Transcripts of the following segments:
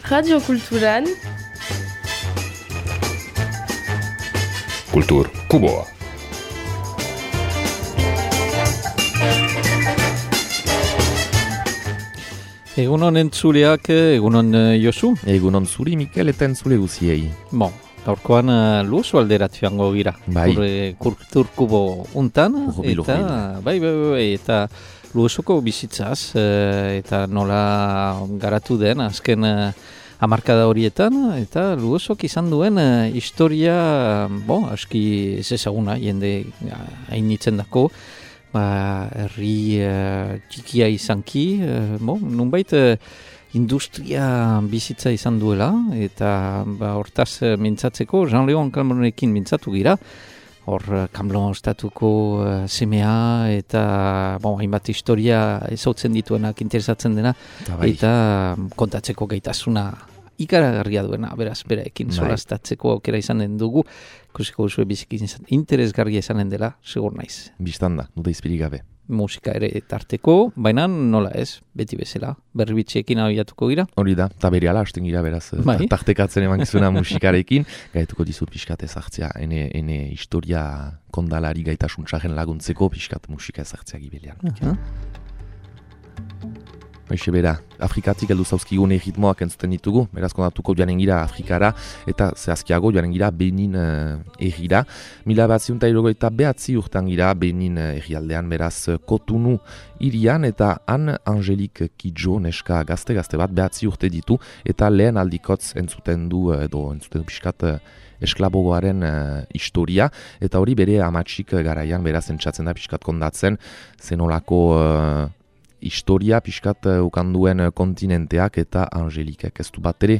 Radio Kulturan Kultur Kuboa. Egunon entzuleak, egunon Josu? Egunon zuri Mikel eta entzule guziei. Bon, gaurkoan luoso alderat joango gira. Bai. Kultur Kubo untan, Urbil. bai, eta luosoko bizitzaz, eta nola garatu den azken hamarkada horietan, eta luosok izan duen historia, aski ez ezaguna, jende hainitzen dako, herri txikia izanki, nunbait industria bizitza izan duela, eta hortaz mintzatzeko, Jean-Léon Calmeronekin mintzatu gira, hor Camelon estatuko semea, eta hainbat historia ezautzen dituenak interesatzen dena, eta kontatzeko gaitasuna ikaragarria duena, beraz, beraekin solastatzeko aukera izanen dugu, ikusiko duzue biziki interesgarria izanen dela, segur naiz. Bistanda, duda izpirik gabe. Musika ere tarteko, baina nola ez, beti bezala, berbitxeekin abiatuko gira. Hori da, eta bere ala hasten gira beraz, tartekatzen emankizuna musikarekin, gaituko dizut pixkat ezartzea, ene historia kondalari gaitasuntzaren laguntzeko pixkat musika ezartzea gibelian. Baixe bera, Afrikatik heldu zauzkigun erritmoak entzuten ditugu, beraz kontatuko joanen gira Afrikara, eta zehazkiago joanen gira Benin errira. 1979 urtan gira Benin errialdean, beraz Kotunu irian, eta han Angelique Kidjo, neska gazte bat, 9 urte ditu, eta lehen aldikotz entzuten du pixkat esklabogoaren historia, eta hori bere amatxik garaian beraz entzatzen da pixkat kondatzen, zenolako historia pixkat ukanduen kontinenteak eta Angelikek ez du bat ere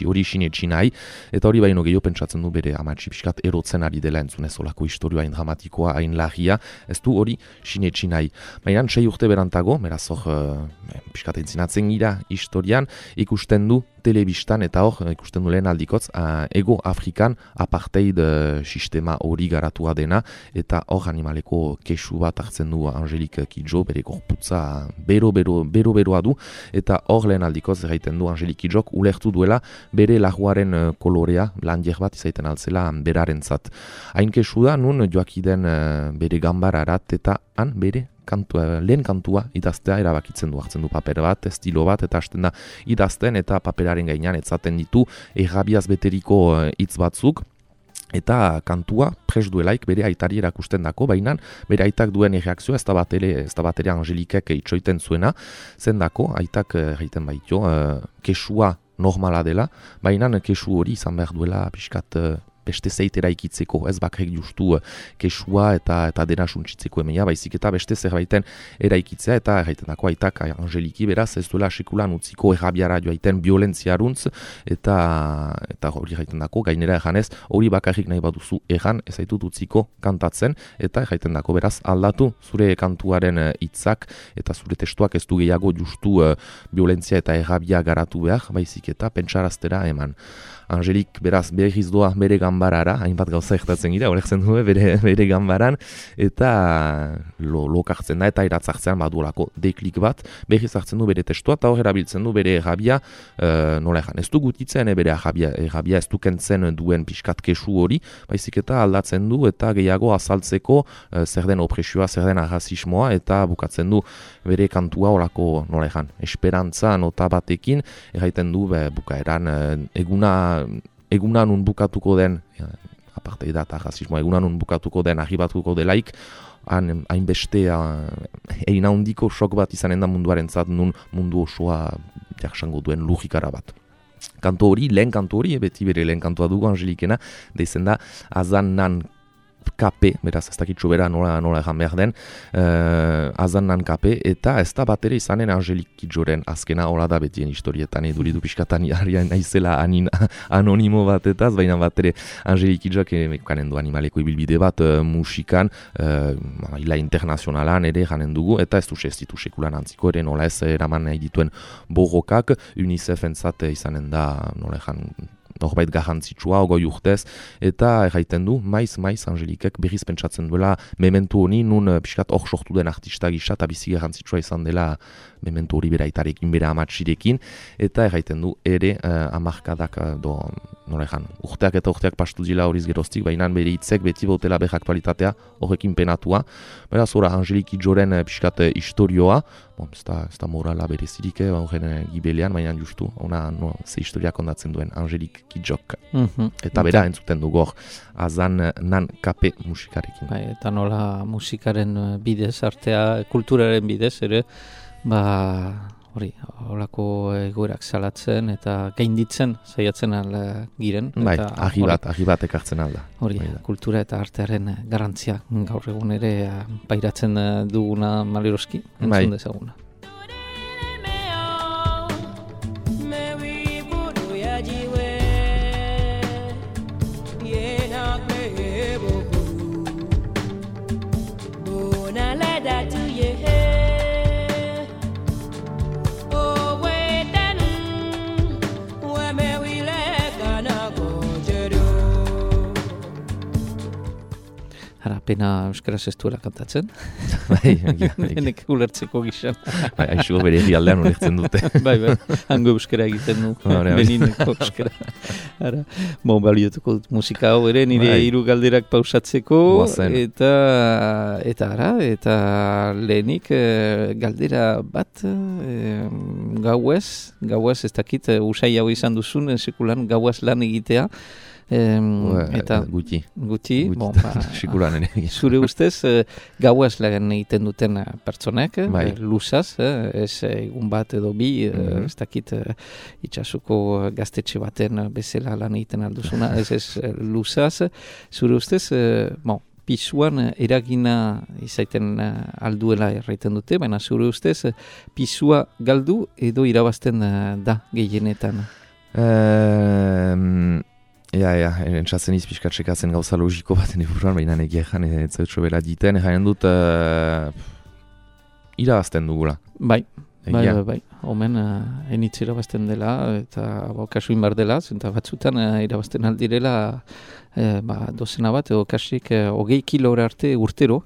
hori sinetsi nahi, eta hori baino gehiago pentsatzen du bere amatxi pixkat erotzen ari dela entzunez olako historioa hain dramatikoa, hain lagia, ez du hori sinetsi nahi. Baina 6 urte berantago, beraz hor pixkat entzinatzen gira historian, ikusten du telebistan eta hor ikusten du lehen aldikotz Ego Afrikan apartheid sistema hori garatua dena, eta hor animaleko kesu bat hartzen du Angelique Kidjo, bere gorputza bero-beroa du, eta hor lehen aldikoz erraiten du Angelique Kidjok ulertu duela bere laguaren kolorea landier bat izaiten altzela berarentzat. Hain kesu da, nun joakiden bere gambararat eta han bere lehen kantua idaztea erabakitzen du, hartzen du paper bat, estilo bat, eta hasten da idazten, eta paperaren gainean etzaten ditu errabiaz beteriko hitz batzuk, eta kantua pres duelaik bere aitari erakusten dako, baina bere aitak duen erreakzioa ez da bat ere Angelikek itxoiten zuena, zendako aitak egiten baito, kesua normala dela, baina kesu hori izan behar duela pixkat beste zeitera ikitzeko, ez bakrek justu kesua eta dena suntsitzeko emeia, baizik eta beste zerbaiten eraikitzea, eta erraiten dako aitak Angeliki beraz ez duela sekulan utziko errabiara joaiten violentziaruntz, eta hori erraiten dako, gainera erranez, hori bakarrik nahi baduzu erran ez zaitut utziko kantatzen, eta erraiten dako beraz aldatu zure kantuaren hitzak eta zure testuak ez du gehiago justu violentzia eta errabia garatu behar, baizik eta pentsaraztera eman. Angelik beraz berriz doa bere ganbarara, hainbat gauza ektatzen gira, horretzen du bere ganbaran, eta lokartzen da eta iratzartzean baduolako deklik bat, berriz hartzen du bere testua, eta hor erabiltzen du bere errabia, nola egan, ez du gutitzen bere errabia ez du kentzen duen pixkat kesu hori, baizik eta aldatzen du eta gehiago azaltzeko zer den opresioa, zer den arrazismoa, eta bukatzen du bere kantua horako, nola egan, esperantza nota batekin, erraiten du bukaeran eguna nun bukatuko den, aparte da eta rasismoa, eguna nun bukatuko den, arribatuko delaik, hainbeste egin handiko sok bat izanen da munduaren zat, nun mundu osoa jaksango duen logikara bat. Kantu hori, lehen kantu hori, beti bere lehen kantua dugu Angelikena, deizen da Azanan Kape, beraz ez dakitxo bera nola egan behar den, Azanan Kape, eta ez da bat ere izanen Angelique Kidjoren azkena hola da betien historietan, duridu pixkatan naizela anonimo batetaz, baina bat ere Angelique Kidjok kanen du animaleko ibilbide bat musikan, ila internazionalan ere janen dugu, eta ez ditu sekulan antziko ere nola ez eraman nahi dituen borrokak, UNICEF entzat izanen da nola egan norbait garrantzitsua, 20 urtez, eta erraiten du, maiz Angelikek berriz pentsatzen duela mementu honi, nun pixkat hor sortu den artista gisa, eta bizi garrantzitsua izan dela mementu hori bera itarekin, bera amatsirekin, eta erraiten du ere amarkadak urteak eta urteak pastu dila horiz geroztik, baina bere hitzek beti bautela behar aktualitatea horrekin penatua. Beraz, ora, Angeliki Joren pixkat historioa, ez da morala berezirik horren gibelean, baina justu, ze historia kondatzen duen Angelik Kijok. Eta bera entzuten dugu hor, azan nan kape musikarekin. Bai, eta nola musikaren bidez, artea, kulturaren bidez, ere, hori, holako egoerak salatzen eta gainditzen saiatzen giren. Bai, argi bat ekartzen alda. Hori, kultura eta artearen garrantzia gaur egun ere pairatzen duguna maleroski, entzun dezaguna. Pena euskaraz ez duela kantatzen. Bai. Denek ulertzeko gizan. Bai, aixo bere herrialdean ulertzen dute. Bai, hango euskara egiten du. Benineko euskara. Baliotuko dut musika hau ere, nire hiru galderak pausatzeko. Eta lehenik galdera bat gauez ez dakit usai hau izan duzun, sekulan gauaz lan egitea. Eta guti. Zure ustez gauaz lan egiten duten pertsonek, luzaz, ez egun bat edo bi, ez dakit itxasuko gaztetxe baten bezala lan egiten alduzuna, ez luzaz. Zure ustez, pisuan eragina izaiten alduela erraiten dute, baina zure ustez pisua galdu edo irabazten da gehienetan? Entzatzen izpiskatzekatzen gauza logiko baten eburuan, baina egean ez zautxo bera diten, jaien dut irabazten dugula. Bai. Omen enitz irabazten dela, eta kasuin bar dela, eta batzutan irabazten aldirela dozena bat, edo kasik 20 kilora arte urtero.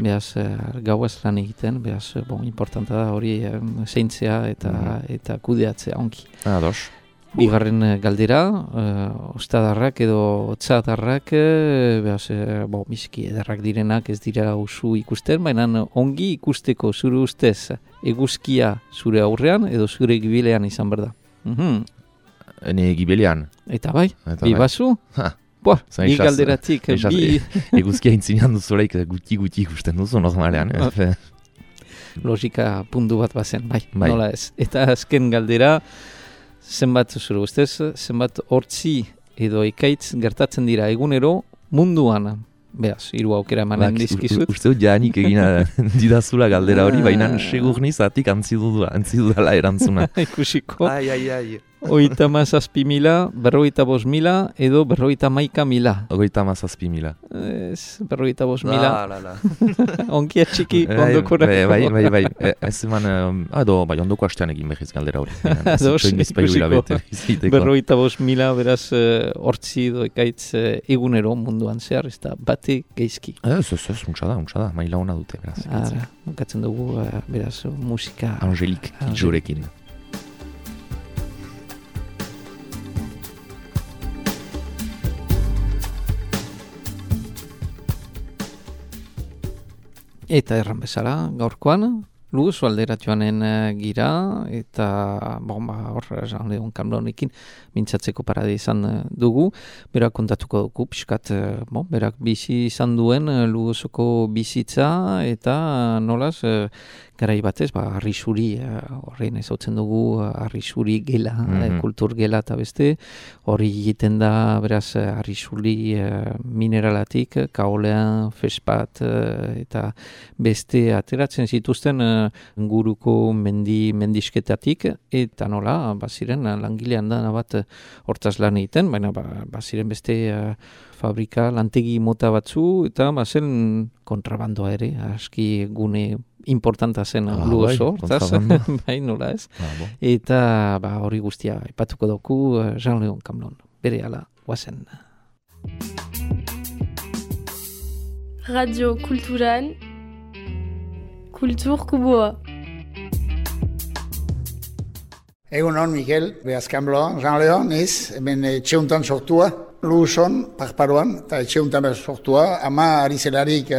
Beaz, gauaz lan egiten, beaz, importanta da hori zeintzea eta kudeatzea onki. Bigarren galdera, ostadarrak edo otzadarrak, biziki ederrak direnak ez dira usu ikusten, baina ongi ikusteko zure ustez eguzkia zure aurrean edo zure gibilean izan behar da. Ene gibilean? Eta bai, bibazu? Ni galderatik. Eguzkia intzinean duzulaik guti ikusten duzu normalean. Logika puntu bat bazen, bai, nola ez. Eta azken galdera, zenbat zure ustez, zenbat hortzi edo ekaitz gertatzen dira egunero munduan. Beaz, hiru aukera emanen dizkizut. Uste dut jaanik egina didazula galdera hori, baina segur nizatik antzidudala erantzuna. Ikusiko. 37.000, 45.000 edo 51.000. 37.000. Ez, 45.000. Onkia txiki ondokorako. Bai. Ez eman, ondoko hastean egin behiz galdera hori. Ikusiko. 45.000 beraz hortzi edo ekaitz egunero munduan zehar, ez da bate geizki. Ez, muntza da, maila hona dute. Bukatzen dugu, beraz, musika. Angelik Kijorekin. Eta erran bezala, gaurkoan, Luz alderatioanen gira, eta hor, Jean-Leon Camlonekin mintzatzeko parade izan dugu. Berak kontatuko dugu, pixkat, berak bizi izan duen Luzoko bizitza, eta nolaz, garai batez, arrisuri, horrein ezautzen dugu, arrisuri gela, kultur gela eta beste, hori egiten da, beraz, arrisuri mineralatik, kaolean, fespat, eta beste ateratzen zituzten guruko mendisketatik, eta nola, baziren langilean da bat hortaz lan egiten, baina baziren beste fabrika, lantegi mota batzu, eta bazen kontrabandoa ere, aski gune importanta zen Luoso, hortaz, bai nola ez. Eta hori guztia ipatuko dugu Jean-Leon Camlon. bere ala guazen. Radio Kulturan, Kultur Kuboa. Egun hon, Mikel, Beazkanbloa, Jean Leon, niz, hemen etxeuntan sortua, Luson, Parparoan, eta etxeuntan sortua, ama ari zelarik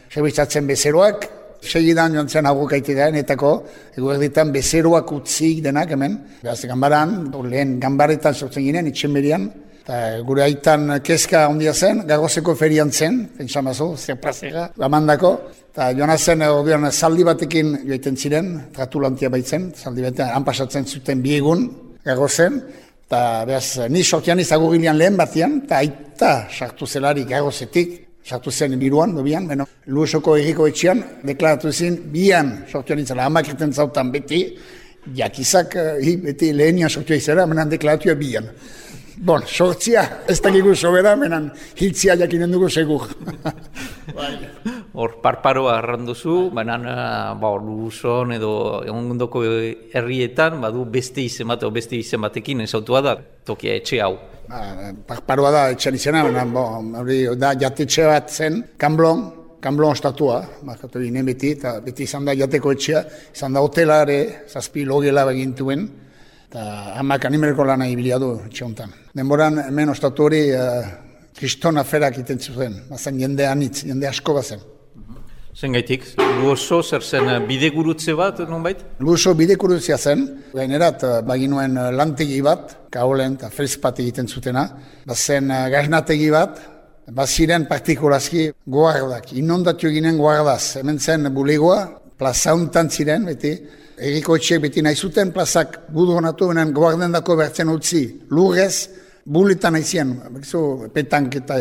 zerbitzatzen bezeroak, segidan joan zen aurrukaitera enetako, eguerditan bezeroak utzik denak hemen, behaz gambaran, lehen gambaretan sortzen ginen, itxenberian, eta gure aitan kezka ondia zen, Garrozeko ferian zen, pentsamazu, zer plazera, gamandako, eta joan zen ordean zaldi batekin joaiten ziren, tratulantia baitzen, zaldi batean han pasatzen zuten biegun, Garrozen, eta behaz, ni sortian izagurilian lehen batian, eta aita sartu zelari Garrozetik, sartu zen biruan, dobian, Luosoko erriko etxean, deklaratu zen, bian sortuan izela, hamak erten zautan beti, jakizak, beti lehenian sortua izela, menan deklaratua bian. Bon, sortzia, ez dakigu sobera, menan hiltzia jakinen dugu segur. Hor, Parparoa arranduzu, baina Luson edo egondoko herrietan, badu beste izen bat, beste izen batekin ezautua da, tokia etxe hau. Parparoa da etxean izena, hori da jatetxe bat zen, Kamblon estatua, markatu ginen beti, eta beti izan da jateko etxea, izan da hotelare, 7 logela begintuen, eta hamak animereko lana ibilia du etxe honetan. Denboran hemen ostatu hori kriston aferak iten zuten, bazen jende anitz, jende asko bazen. Zengaitik, Luoso zer zen bidegurutze bat, nonbait? Luoso bidegurutzea zen, gainerat baginuen lantegi bat, kaolen eta felizpat egiten zutena, bazen gaznategi bat, baziren partikulazki guardak, inondatu ginen guardaz, hemen zen bulegoa, plaza hontan ziren, beti, erriko etxeak beti nahi zuten, plazak gudu honatu, benen guardendako bertzen utzi, lurrez, buletan haizien, petanketa.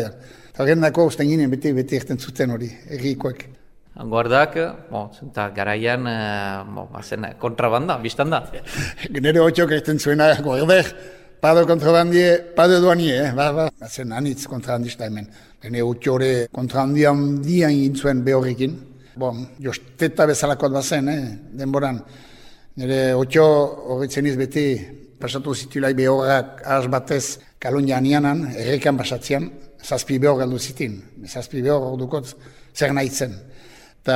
Eta gendako usten ginen beti erten zuten hori, errikoek. Guardak, zenta garaian, zen kontrabanda, biztan da. Nere hotxok erten zuena, guardek, pado kontrabandie, pado duanie, zen anitz kontrabandista hemen. Gene hotxore kontrabandian dian gintzuen behorrekin. Josteta bezalakoat bazen, denboran. Nire hotxo horretzen iz beti pasatu zitulai behorrak ahaz batez Kalonja anianan, errekan pasatzean, 7 behor galdu zitin. 7 behor ordukot zer nahi zen. Eta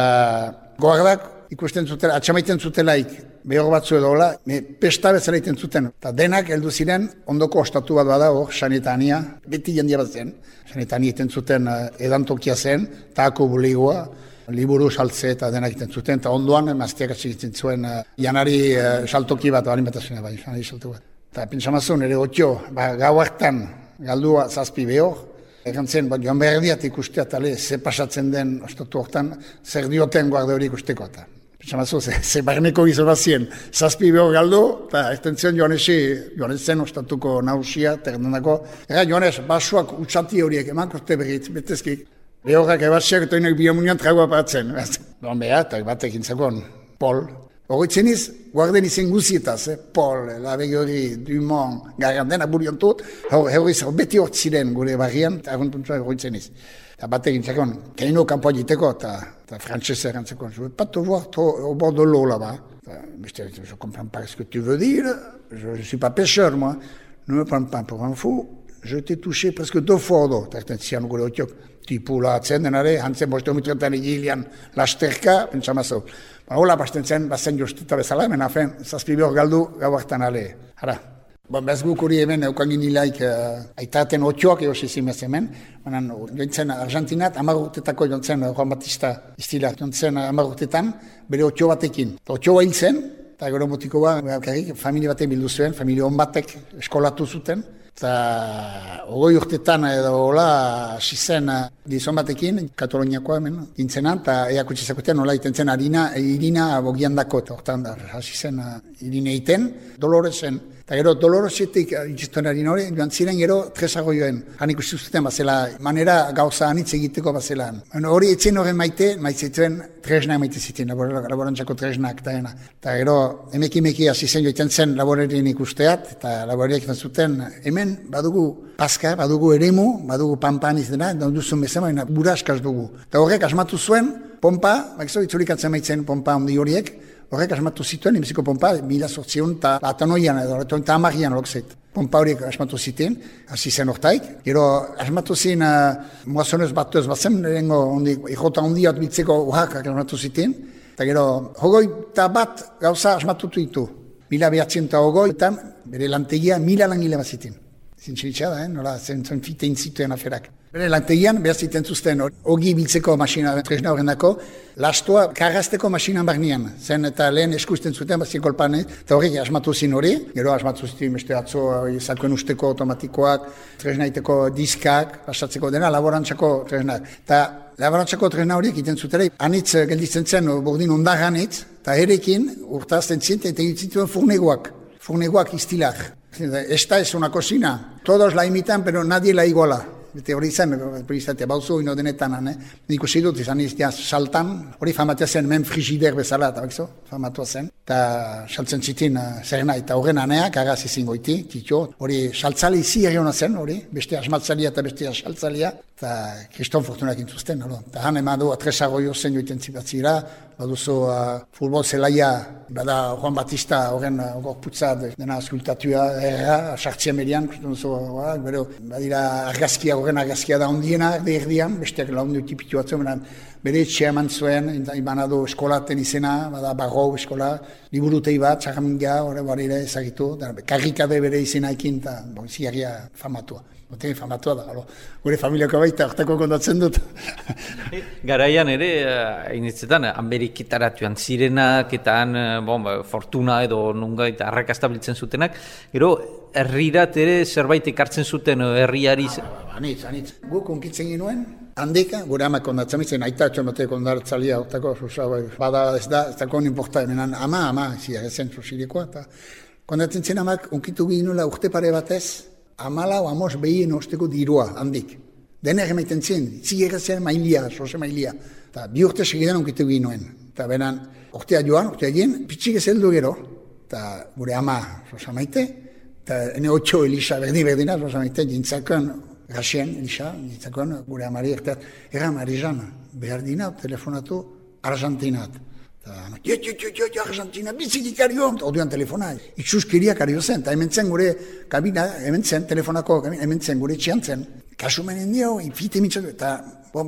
guardak ikusten zutela, atxamaiten zutelaik behor batzu edo hola, pesta bezala iten zuten. Eta denak heldu ziren, ondoko ostatu bat bada hor, Sanetania, beti jendia bat zen. Sanetania iten zuten edantokia zen, tako bulegoa, liburu saltze eta denak iten zuten, eta ondoan maztiak atxegitzen zuen janari saltoki bat, balin bat azuna, janari saltoki bat. Eta pentsamazun, ere otxo, gau hartan galdua 7 behor, egantzen, joan behar diat ikustea, tale, ze pasatzen den ostatu hortan, zer dioten guarde hori ikusteko. Eta pentsamazun, ze barneko gizon bazien, 7 behor galdu, eta erten zion Joanezen ostatuko nausia, terdendako, Joanes, basuak utsati horiek, eman koste berriz, betezkik, behorrak ebatxeak eta honek biomunian tragua paratzen. Doan behar, eta batek intzakon, Pol. Horretzen iz, guarden izen guzietaz, Pol, Labegi hori, Dumont, Garandena, Buriontut, horriz beti hortziren gure barrian, eta horretzen iz. Eta batek intzakon, kaino kampoa jiteko, eta frantzese erantzakon, je veux pas te voir au bord de l'eau là-bas. Je comprends pas ce que tu veux dire, je suis pas pêcheur, moi. Ne me prends pas pour un fou, je t'ai touché presque 2 fois d'eau. Eta zian gure hotxok, tipula atzen denare, hantzen 5 mitretan egilean lasterka, pentsamazo. Hola, basten zen, bazen josteta bezala, hemen afen, 7 behor galdu, gau hartan ale. Hara, bez guk hori hemen eukangin hilaik aitaten otxoak egosizim ez hemen, baina jointzen Argentinat, 10 urtetako jointzen Juan Batista istila, jointzen 10 urtetan, bere otxo batekin. Otxo hil zen, eta gero motikoa, familia batek bildu zuen, familia hon batek eskolatu zuten, eta 20 urtetan edo hola hasi zen gizon batekin, Kataloniakoa hemen, gintzenan, eta eakutxizakotean hola iten zen Irina bogian dako, eta hortan hasi zen Irina iten, Doloresen, eta gero Doloresetik itxistuen Irina hori, joan ziren gero tresago joen, han ikusi zuten bazela, manera gauza anitz egiteko bazela. Hori etzen horren maitzituen tresnak maite ziten, laborantzako tresnak, eta gero emeki hasi zen joiten zen laborerien ikusteat, eta laboreriak izan zuten, hemen badugu paska, badugu eremu, badugu pampan izena, duzun bezala, baina buraskaz dugu. Eta horrek asmatu zuen, pompa, itzulikatzen maitzen pompa handi horiek, horrek asmatu zituen, imeziko pompa, 1800 eta 10 lokzeit. Pompa horiek asmatu ziten, hasi zen hortaik. Gero asmatu zen, moazonez batuz batzen, ikota hondiat bitzeko uhakak asmatu ziten. Eta gero, hogoi eta bat gauza asmatutu ditu. 1920 bere lantegia 1000 langile bat ziten. Zintxeritxa da, nola zen fitein zituen aferak. Bere lantegian, behar ziten zuzten, ogi biltzeko masina, tresna horrendako, lastoa karrazteko masinan barnean. Zen eta lehen eskusten zuten, bazien kolpan, eta horrek asmatu zin hori. Gero asmatu ziten, beste atzo, zalkoen usteko automatikoak, tresnaiteko diskak, pasatzeko dena, laborantzako tresnak. Eta laborantzako tresna horiek iten zutera, anitz gelditzen zen, bordin ondaganitz, eta erekin urtazten zinten, eta egiten furnegoak iztilak. Esta es una cocina, todos la imitan, pero nadie la iguala. Bete hori zen, bauzu ino denetan, nik usi dut, izan iztia saltan, hori famatua zen, men frigider bezala, eta bakzo, famatua zen. Eta saltzen zitin zerena, eta horren aneak, agaz izin goiti, titio, hori saltzali izi erriona zen, hori, beste asmatzalia eta beste saltzalia, eta kriston fortunak intuzten, hori. Eta han eman du, atresago jozen joiten zipatzira, baduzu futbol zelaia, bada Juan Batista horren gorputza dena askultatua sartzia merian, bero, badira argazkia, horren argazkia da ondiena, erdian, besteak laundu tipitu batzu, bere etxea eman zuen, ibanado eskolaten izena, bada barro eskola, liburutei bat, txarraminga, horre barira ezagitu, karrikade bere izena ekin, eta ziarria famatua. Boten famatua da, gure familiako baita, hortako kontatzen dut. Garaian ere, hainitzetan, Ameriketaratuan zirenak, eta fortuna edo nunga eta arrakastabiltzen zutenak, gero, herrirat ere zerbait ekartzen zuten herriari... Anitz. Guk unkitzen ginuen, handika, gure amak kondatzen mitzen, aita atxon bateko ondartzalia, hortako, bada ez da kon importa, menan ama, zia, ezen sosirikoa, eta kondatzen zen amak unkitu ginuela urte pare batez, amala o amos behien osteko dirua, handik. Denek emaiten zen, zigerazien mailia, sose mailia. Eta bi urte segidan unkitu ginuen. Eta benan, urtea egin, pitxik ez heldu gero. Eta gure ama, sosa maite, eta ene 8 Elisa, berdina, sosa maite, jintzakon, Rasien, Elisa, jintzakon, gure amari, era Marijan, behar dina, telefonatu, Argentinat. Argentina, bizik ikario, orduan telefona, itxuskiria kario zen, eta hemen zen gure kabina, hemen zen, telefonako, hemen zen gure txian zen, kasumenen dio, ifite mitzatu, eta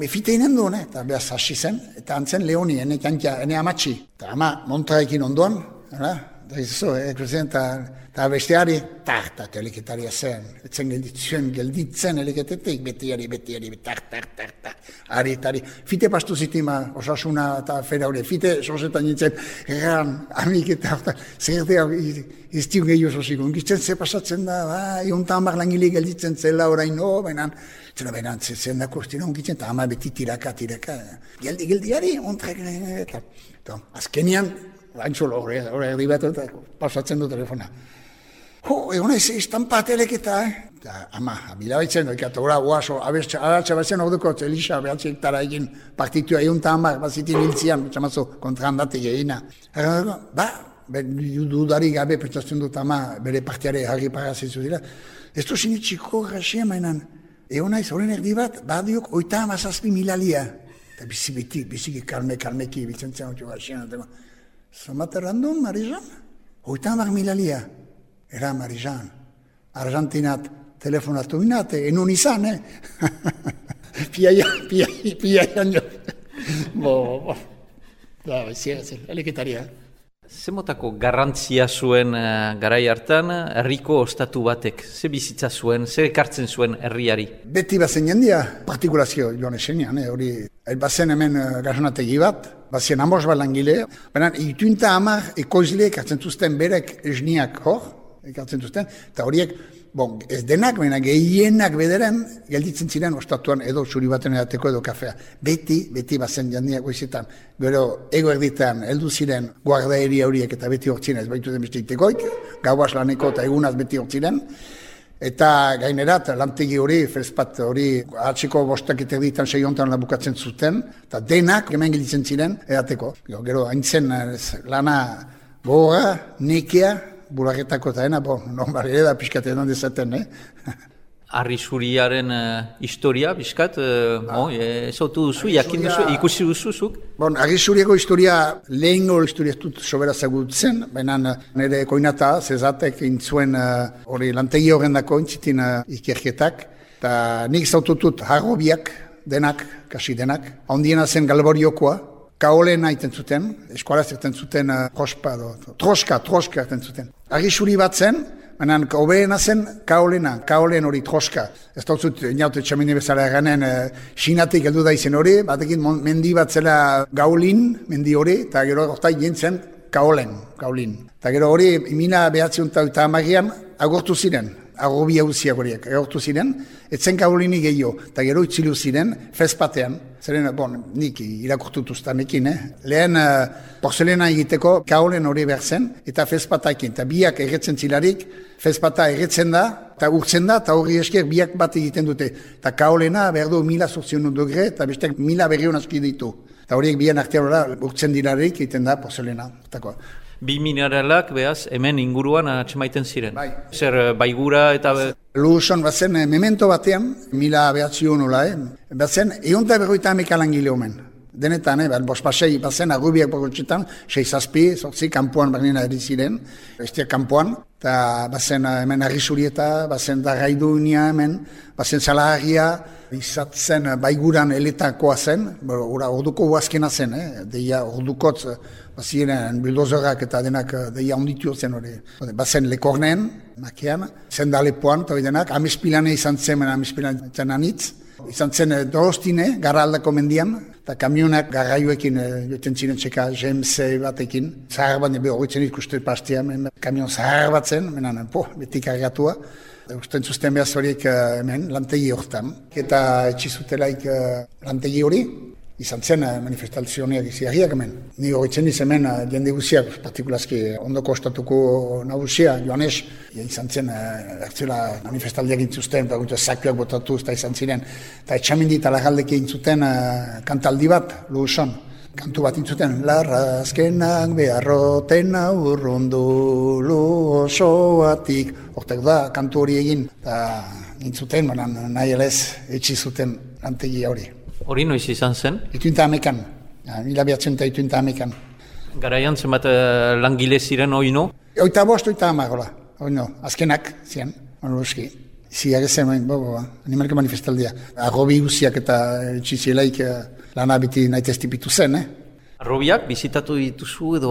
ifite inen duen, eta behaz hasi zen, eta antzen Leoni, ene amatxi, eta ama montraekin ondoan, eta izo, eta besteari, eta teleketaria zen, etzen gelditzen eleketetik, betiari, ari, fite pastu zitima, osasuna eta fera hori, fite sosetan nintzen, amik eta zertea iztiun gehiago sosiko, unkitzen ze pasatzen da, egunta hamar langile gelditzen zela orain, benan zen da kostira unkitzen, eta ama beti tiraka, geldiari, ontrek, eta azkenian, haintzolo hori erdibatu eta pasatzen du telefona. Egon ez, estampa teleketa, eta ama, bilabaitzen dut, eta gora, oazo, abertza batzen orduko, Elisa, behatzeik tara egin partitua egun eta hamar, bazitin hiltzian, txamazo, kontrahandatik egina. Dudari gabe, pentsatzen dut ama, bere partiare harri parazizu dira. Ez du sinitxiko graxia mainan, egon naiz, horren erdi bat, badiok, 37.000 lia. Eta biziki kalmeki, bizentzen hori graxia. Zomate random, Marijan? 37.000 lia. Era Marijan, Argentinat telefonatu inate, enun izan, Piaian jo. Eleketaria. Zemotako garrantzia zuen garai hartan, herriko ostatu batek, ze bizitza zuen, ze ekartzen zuen herriari? Beti bazen jendia, partikulazio joan esenean, hori, bazen hemen gazanategi bat, bazen amos bat langile, baina ituinta hamar ekoizle ekartzen zuzten berek esniak hor, ekartzen zuzten, eta horiek, ez denak, baina gehienak bederen, gelditzen ziren ostatuan edo zuri baten edateko edo kafea. Beti bazen jandiak goizetan. Gero, ego erditan, heldu ziren guardaeri horiek eta beti hortzien ez baitu den beste itekoik, gauaz laneko eta egunaz beti hortziren. Eta gainerat, lantegi hori, felspat hori, atxiko bostak eta erditan seiontan labukatzen zuten, eta denak hemen gelditzen ziren edateko. Gero, haintzen lana gora, nekea, bularretako eta normal ere da pixkatean dezaten, Arrisuriaren historia, bizkat, ezautu duzu, jakin duzu, ikusi duzuzuk? Bon, Arrisuriako historia, lehengo historia dut sobera zagutzen, baina nire koinata, zezatek intzuen hori lantegi horren dako intzitin ikerketak, eta nik zaututut harrobiak, denak, kasi denak, ondiena zen Galboriokoa, kaolena iten zuten, eskualaz iten zuten troska iten zuten. Arrisuri bat zen, baina hobeena zen kaolen hori troska. Ez dut zut, inaute txamini bezala eranen, Xinatik heldu da izen hori, batekin mendi bat zela gaulin, mendi hori, eta gero hortai jentzen kaolin. Eta gero hori, 1930an agortu ziren. Arrobi hauziak horiek, egortu ziren, etzen kaolinik gehiago, eta gero itzilu ziren, fezpatean, zeren, nik irakurtutuztanekin, lehen porzelena egiteko kaolen hori behar zen, eta fezpataekin, eta biak erretzen zilarik, fezpata erretzen da, eta urtzen da, eta hori esker biak bat egiten dute, eta kaolena behar du 1000 degre, eta besteak 1000 berriun aski ditu. Eta horiek bian artean urtzen dilarik egiten da porzelena. Bi mineralak, behaz, hemen inguruan atxemaiten ziren. Bai. Zer, baigura eta... Luson, bazen, memento batean, 1900 bazen, 150 langile omen. Denetan, bospasei, bazen, arrubiak bakotxetan, 6-8, kanpoan barnena eriziren, bestiak kanpoan, eta bazen hemen Arrisurieta, bazen Darraidunia hemen, bazen Salaharria, izatzen baiguran eletakoa zen, orduko huazkena zen, deia ordukotz, baziren bildozorak eta denak deia onditu zen hori. Bazen Lekornen, makean, zendalepoan, eta denak, Amespilane izan zen, Amespilane zen anitz, izan zen Dorostine, gara aldako mendian, eta kamionak garraioekin joten ziren txeka GMC batekin. Zahar bat, horretzen ikustu pastia, kamion zahar bat zen, beti kargatua. Usten zuzten behaz horiek hemen, lantegi horretan. Eta etxizutelaik lantegi hori, izan zen manifestazioak iziarriak hemen. Ni horretzen hemen jende guziak, partikulazki ondoko ostatuko nagusia, Joanes, izan zen ertzela manifestaldiak intzuzten, eta zakuak botatu eta izan ziren. Eta etxamendi eta lagaldeke intzuten kantaldi bat, Luson. Kantu bat intzuten, larrazkenak beharroten aurrundu osoatik. Hortek da, kantu hori egin, eta intzuten, nahi elez etxizuten lantegi hori. Hori noiz izan zen? Ituinta amekan, 1911. Garaian zenbat langile ziren oino? Oita amar, oino, azkenak ziren, onuski. Ziak ezen, animalko manifestaldia. Arrobi guziak eta txizielaik lana biti nahi testipitu zen, Arrobiak bizitatu dituzu edo...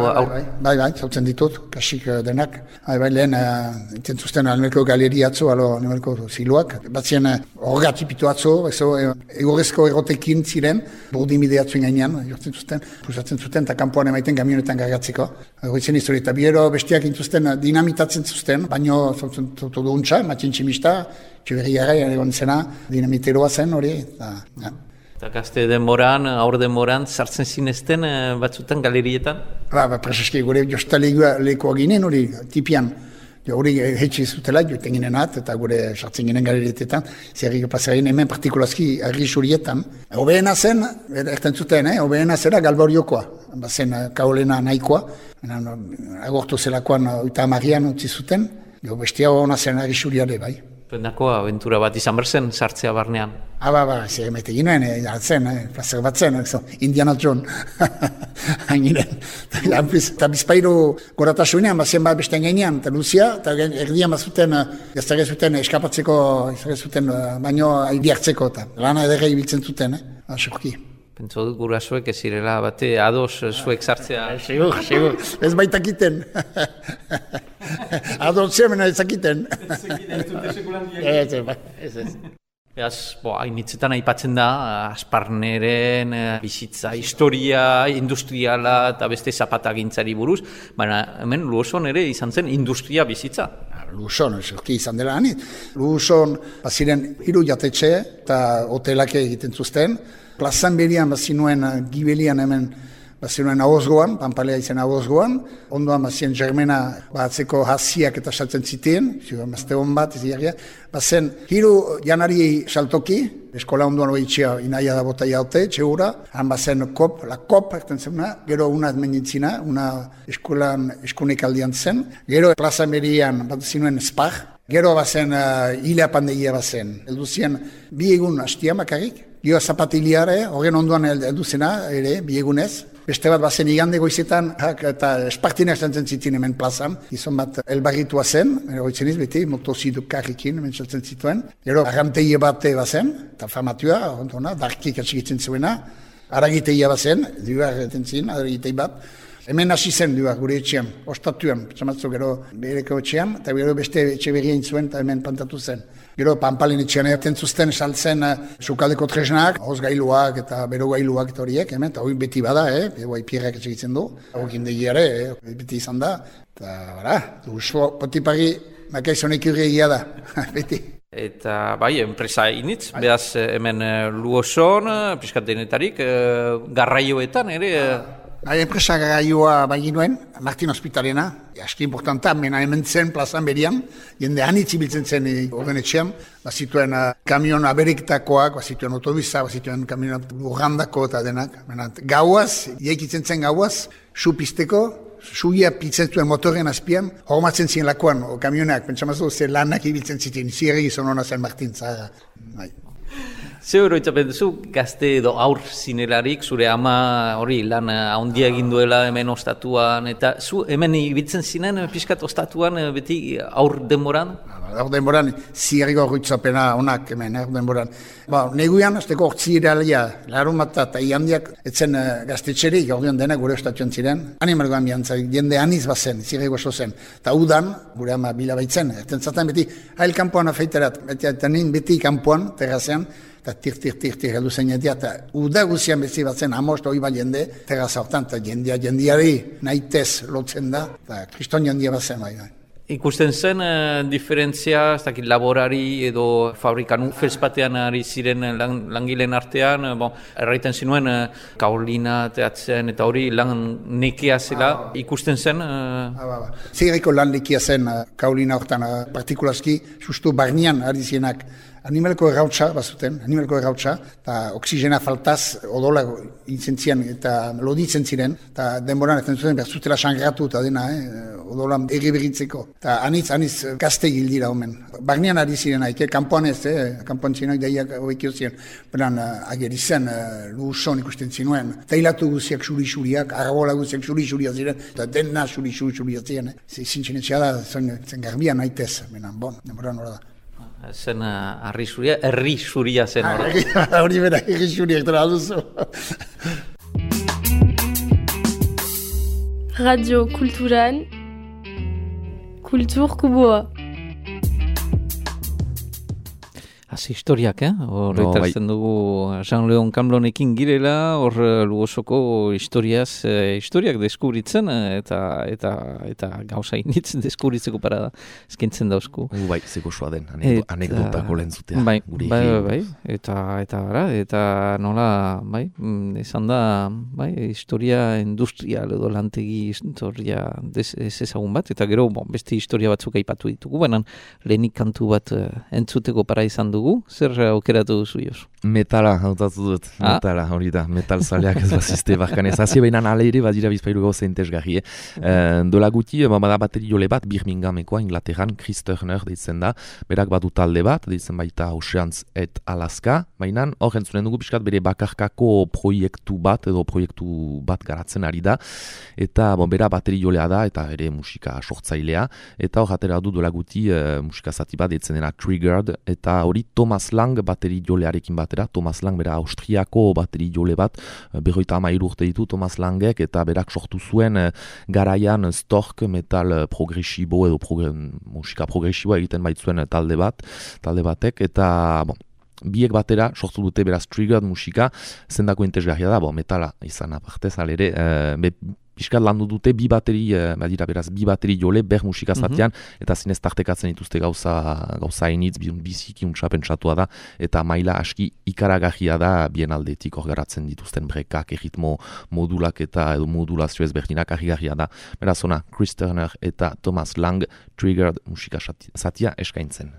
Bai, zautzen ditut, kasik denak. Lehen, enten zuzten animalko galeria atzo, animalko ziluak. Batzien horregatzipitu atzo, egorezko erotekin ziren, burdimide atzuen gainean, jortzen zuzten, pusatzen zuten, eta kanpoan emaiten kamionetan gargatzeko. Horretzen historia, eta biero bestiak intuzten dinamitatzen zuzten, baino zautzen zutu duuntza, matxin tximista, txuberriara egon zena, dinamiteroa zen hori, Eta gazte denboran, aur denboran, sartzen zinezten batzutan galerietan? Prezeski gure jostalekoa ginen hori, tipian. Hori hetxe zutela, joten ginen eta gure sartzen ginen galerietetan. Zerrik pasaren hemen partikulazki Arrisurietan. Hobeena zen, erten zuten, hobeena zera Galboriokoa. Bazen kaolena nahikoa. Agortu zelakoan 30an utzi zuten. Bestia hona zen Arrisuriare, bai. Zuendako aventura bat izan berzen, sartzea barnean. Zer emete ginen, zen, plazer bat zen, Indiana Jones. Hanginen. Eta bizpairu goratasunean, bazen bat bestean gainean, eta Luzia, eta erdian bazuten, gaztare zuten eskapatzeko, baino aidiartzeko, eta lana edera ibiltzen zuten, asurki. Pentsu dut gurasoek ez zirela bate ados zuek sartzea. Segur, ez baitakiten. Ados zemena ezakiten. Ez. Beaz, hainitzetan aipatzen da, Asparneren bizitza, historia, industriala eta beste zapatagintzari buruz, baina hemen Luoson ere izan zen industria bizitza. Luoson, esorki izan dela hanit. Luoson, baziren 3 jatetxe eta hotelak egiten zuzten. Plazan berian bazinuen Gibelian hemen, bazinuen ahozgoan, Pampalea izan ahozgoan, ondoan bazien Germena batzeko hasiak eta saltzen zitien, mazte hon bat, bazen 3 janari saltoki, eskola ondoan hori itxia inaia da bota jaute, txegura, han bazen la kop, erten zena, gero una admenintzina, una eskolan eskunek aldian zen, gero plazan berian bat zinuen spar, Gero bazen, hilea pandegia bazen. Eldu zian, bi egun hastia makarrik. Gio zapatiliare, horren onduan heldu zena, ere, bi egunez. Beste bat bazen igande goizetan, eta espartinak zantzen zitin hemen plazan. Gizon bat elbarritua zen, eroitzen iz beti, motozidu karrikin, hemen zantzen zituen. Gero, arranteie bat bazen, eta famatua, ontona, darkik atxikitzen zuena. Aragiteia bazen, duar etentzin, aragitei bat. Hemen hasi zen duar, gure etxean, ostatuan, petxamatzu gero bereko etxean, eta gero beste etxe berrien zuen, eta hemen pantatu zen. Gero panpalen etxean erten zuzten saltzen sukaldeko tresnak, hozgailuak eta berogailuak eta horiek, hemen, eta hori beti bada, guai pierrak etxegitzen du, horrekin degiare, beti izan da, eta bara, usfo potipari makaizonek egia da, beti. Eta bai, enpresa initz, behaz hemen Luoson, piskat denetarik, garraioetan ere... Enpresa garraioa baginuen, Martin Hospitalena, aski importanta, mena hemen zen plazan berian, jende hanitz ibiltzen zen horren etxean, bazituen kamion aberiktakoak, bazituen otobisa, bazituen kamion lurrandako eta denak. Gauaz, iaikitzen zen gauaz, su pizteko, suia pitzen zuen motorren azpian, hormatzen ziren lakoan, kamionak, pentsamazu, ze lanak ibiltzen ziten, zierri gizon hona zen Martin Zahara. Ze oroitzapen duzu, gazte edo aur zinelarik, zure ama hori lan handia egin duela hemen ostatuan, eta zu hemen ibiltzen zinen pixkat ostatuan beti aur denboran? Aur denboran, zierriko horretzapena onak hemen, aur denboran. Neguian, azteko hortzi iralia, larun bat eta iandiak, etzen gaztetxerik, ordean denak gure ostatuan ziren. Animalgoan biantzak, jende aniz bazen, zierriko oso zen. Eta udan, gure ama bila baitzen, erten zaten beti, hail kanpoan afeiterat, beti kanpoan, terrazean, eta tir heldu zen jendea, eta uda guzian bezi batzen amost hori bat jende, terraza hortan, eta jendeari nahitez lotzen da, eta kriston jendea batzen bai. Ikusten zen diferentzia, ez dakit laborari edo fabrikan felspatean ari ziren langileen artean, erraiten zinuen kaolina teatzen eta hori lan nekea zela, ikusten zen? Zerriko lan nekia zen kaolina hortan, partikulazki, justu barnean ari zienak, animaleko errautsa bazuten, eta oksigena faltaz odola intzentzian eta loditzen ziren, eta denboran ez zuten behar zutela sangratu eta dena, odola erriberitzeko. Eta anitz gazte gildira omen. Barnean ari ziren haike, kanpoan ez, kanpoan zinak daiak hoikio ziren. Beran ageri zen, Luoson ikusten zinuen, teilatu guziak xuri-xuriak, arbola guziak xuri-xuria ziren, eta dena xuri-xuria ziren. Zintxinetxea da, zen garbian haitez, denboran hori da. Zen herri zuria zen hori. Hori bera, herri zuriak dara duzu. Radio Kulturan, Kultur Kuboa. Hasi historiak, horretartzen dugu Jean-Leon Camblonekin girela, hor Luosoko historiak deskubritzen, eta gauza initz deskubritzeko parada eskintzen dauzku. Bai, zeko soa den, anekdotako lehentzutea. Bai, eta nola, izan da, historia industrial edo lantegi historia ez ezagun bat, eta gero, beste historia batzuk aipatu ditugu, baina lehenik kantu bat entzuteko para izan dugu. Zer aukeratu duzu, Jos? Metala, hautatu dut. Metala, hori da. Metal zaleak ez bazizte barkanez. Hazi behinan ale ere, badira bizpailu gauza entesgarri. Dola guti, bada bateri jole bat, Birminghamekoa, Inglaterran, Chris Turner deitzen da. Berak badu talde bat, deitzen baita Oceans et Alaska. Baina, hor entzunen dugu pixkat bere bakarkako proiektu bat, edo proiektu bat garatzen ari da. Eta, bera bateri jolea da, eta ere musika sortzailea. Eta hor atera du dola guti, musika zati bat, deitzen dena Triggered, eta hori Thomas Lang bateri jolearekin batera. Thomas Lang bera Austriako bateri jole bat, 53 urte ditu Thomas Langek, eta berak sortu zuen garaian Stork metal progresibo edo musika progresiboa egiten baitzuen talde batek, eta biek batera sortu dute beraz Triggered musika, zendako entesgarria da, metala izan apartez, alere, piskat landu dute bi bateri jole ber musika zatean, eta zinez tartekatzen dituzte gauza initz, biziki untsa pentsatua da, eta maila aski ikaragarria da bien aldetik orgaratzen dituzten brekak, erritmo modulak eta edo modulazio ezberdinak argigarria da. Beraz ona, Chris Turner eta Thomas Lang Triggered musika zatia eskaintzen.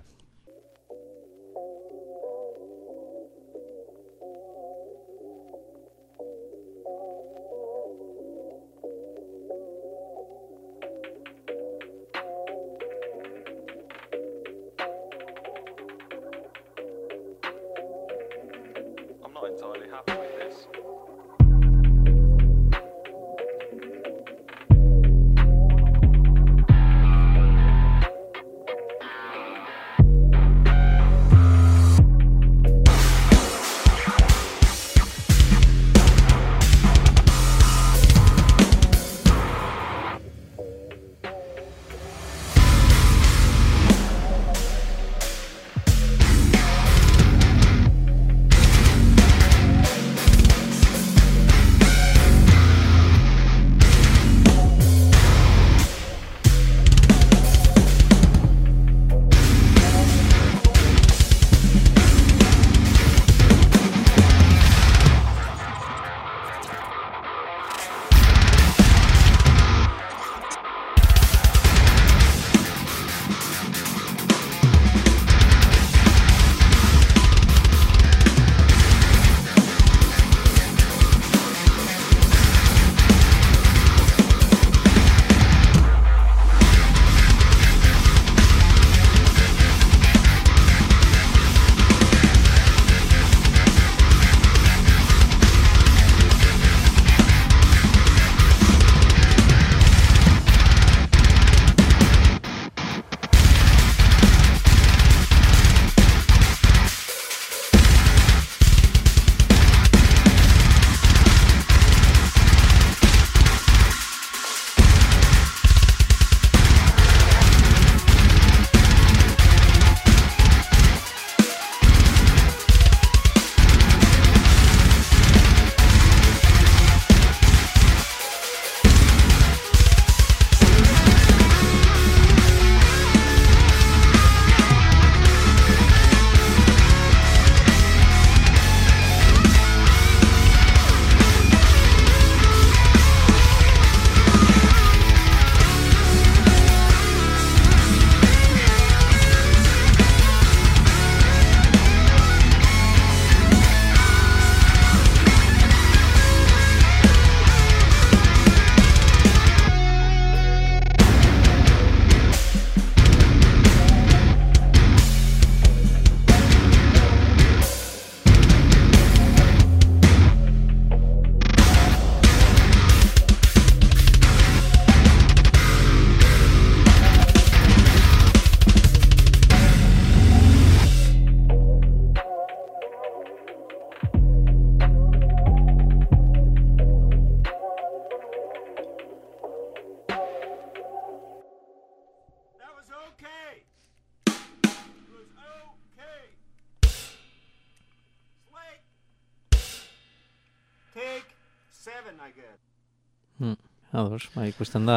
Ados, ikusten da,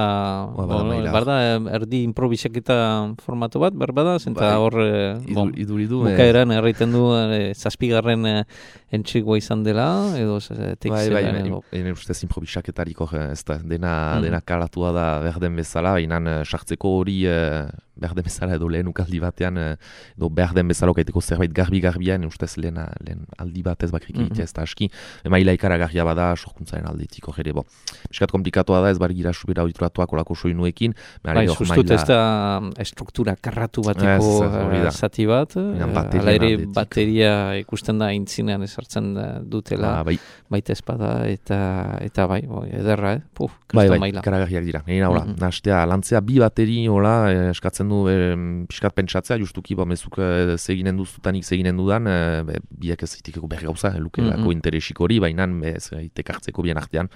barda erdi improvisaketa formatu bat, berbada, zenta hor, bukaeran erraiten du, zazpigarren entxigoa izan dela, edo tekzelan edo. Ene ustez improvisaketariko ez da, dena kalatua da berden bezala, baina sartzeko hori berden bezala edo lehen ukaldi batean, edo berden bezala okaiteko zerbait garbi-garbian, ustez lehen aldi batez bakrik egitea ez da aski, maila ikaragarria bada, sorkuntzaren aldetiko jere, miskat komplikatoa da, ez bargira subira auditoratuak olako soinuekin. Sustut ez da struktura karratu bateko zati bat, ala ere bateria ikusten da intzinean esartzen dutela, baita espada, eta bai, ederra, kriston maila. Karagarriak dira. Nastea, lantzea bi bateri, eskatzen du piskat pentsatzea, justuki, mezuk zeginen duzutanik zeginen dudan, biak ez zitikeko berri gauza, lukelako interesik hori, baina ez tekartzeko bien artean,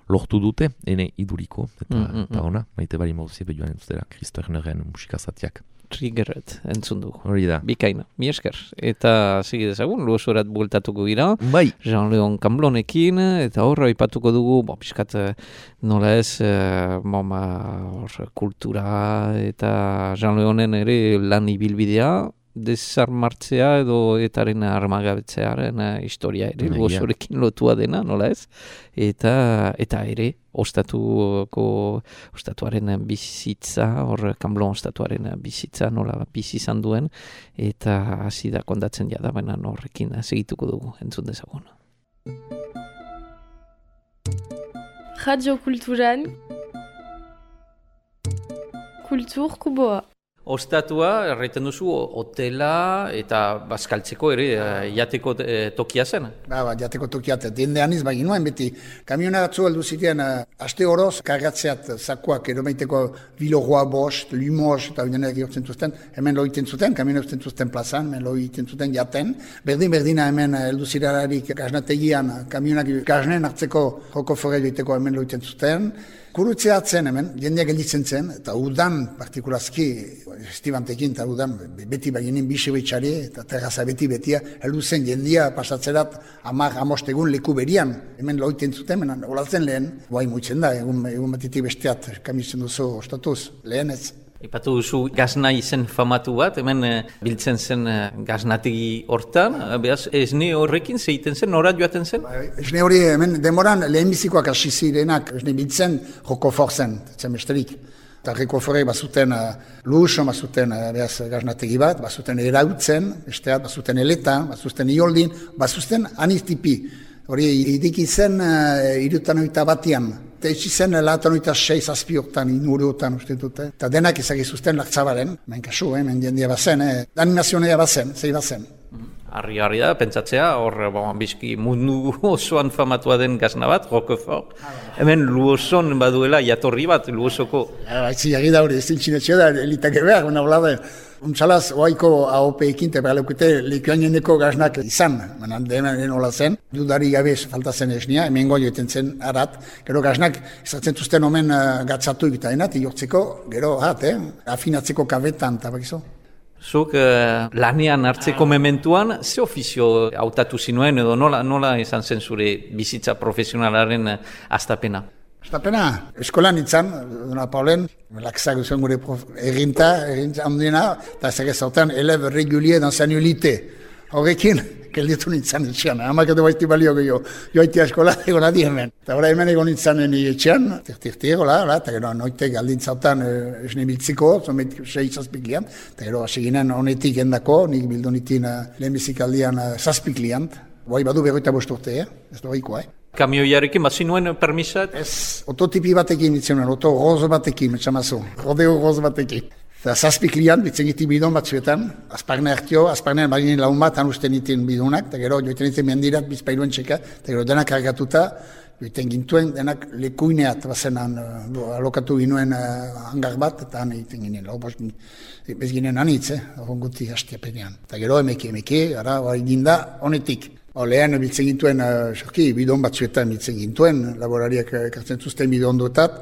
lortu dute, ene iduriko, eta ona, maite bari mauzie behioan entzutera, Kristo Erneren musikazatiak. Triggerret, entzun dugu. Hori da. Bikaina, mi esker. Eta segi dezagun, luosorat bueltatuko gira. Bai. Jean-Leon Camblonekin, eta horra aipatuko dugu, piskat nola ez, kultura, eta Jean-Leonen ere lan ibilbidea, desarmartzea edo etaren armagabetzearen historia ere, luosorekin lotua dena, nola ez? Eta ere, ostatuaren bizitza, hor Camblon ostatuaren bizitza, nola bizi izan duen, eta hasi da kondatzen jada, baina horrekin segituko dugu, entzun dezagun. Radio Kulturan, Kultur Kuboa. Ostatua, erraiten duzu, hotela eta bazkaltzeko ere jateko tokia zen. Jateko tokia, diende aniz bagin nuen beti. Kamiona batzu heldu ziren, aste horoz, kargatzeat zakuak eromeiteko Bilorroa bost, Limoz, eta bidenak jortzen zuten, hemen loiten zuten, kamiona jortzen zuten plazan, hemen loiten zuten jaten. Berdina hemen heldu zirararik gaznategian, kamionak gaznen hartzeko joko fore joiteko hemen loiten zuten. Kurutzea atzen hemen, jendeak gelditzen zen, eta udan, partikulazki, estibantekin, eta udan, beti baginin bisebetxari, eta terraza betia, heldu zen jendia pasatzerat 10 egun leku berian, hemen loiten zuten, hemen olatzen lehen, bai muitzen da, egun batitik besteat, kamitzen duzu ostatuz, lehen ez. Ipatu duzu gazna izen famatu bat, hemen biltzen zen gaznategi hortan, behaz esne horrekin zeiten zen, nora joaten zen? Esne hori hemen demoran lehenbizikoak hasi zirenak, esne biltzen joko forzen, zen besterik. Eta joko forek bazuten luso, bazuten gaznategi bat, bazuten erautzen, besteat, bazuten eleta, bazuten ioldin, bazuten anistipi. Hori idiki zen 61 batian. Eta etxi zen lahatan 6 hortan, inuruotan uste dute. Eta denak ezagizuzten laktzabaren, hemen kasu, hemen jendia bazen, animazionea bazen, zei bazen. Harri da, pentsatzea, hor bizki mundu osoan famatua den gazna bat, Roquefort. Hemen Luoson baduela jatorri bat, Luosoko. Baitzi, agi da hori, ez dintxinetxeo da, elitake behar, una blade. Untxalaz, oaiko AOP-ekin, eta behaleukute lekuan jendeko gaznak izan, manan denen hola zen, dudari gabe falta zen esnia, hemen goioeten zen arat, gero gaznak izatzen zuzten omen gatzatu egitaenat, iortzeko, gero afinatzeko kabetan, eta bakizo. Zuk lanean hartzeko mementuan, ze ofizio hautatu zinuen edo nola izan zen zure bizitza profesionalaren hastapena? Estapena, eskolan nintzen, Dona Paulen, lakzak zuen gure errinta handiena, eta zegezautan, eleve regulier d'enseignoloté. Horrekin, kelditu nintzen etxean, hamak edo baizti balio gehiago, joaitia eskola egon adi hemen. Eta hori hemen egon nintzen etxean, tirtirti egola, eta gero noite galdintzautan esne biltziko, zomet 6 liant, eta gero hasi ginen honetik endako, nik bildu nitin lehenbizik aldian 7 liant, bai badu 25 urte, ez doikoa, Kamioiarekin, bat zinuen permisat? Ez, ototipi batekin bitzen nuen, oto roz batekin, metxamazu, rodeo roz batekin. Eta 7 liant bitzen giti bidon batzuetan, azparne hartio, azparnean baginen laun bat anusten nitin bidunak, eta gero joiten nitin mendirat bizpailuen txeka, eta gero denak kargatuta, joiten gintuen denak lekuineat bazenan, alokatu ginuen hangar bat, eta han egiten ginen, bez ginen anitz, horren guti hastiapenean. Eta gero emeki, gara, ginda honetik. Lehen biltzen gintuen, bidon batzuetan biltzen gintuen, laborariak ekartzen zuzten bidon duetat,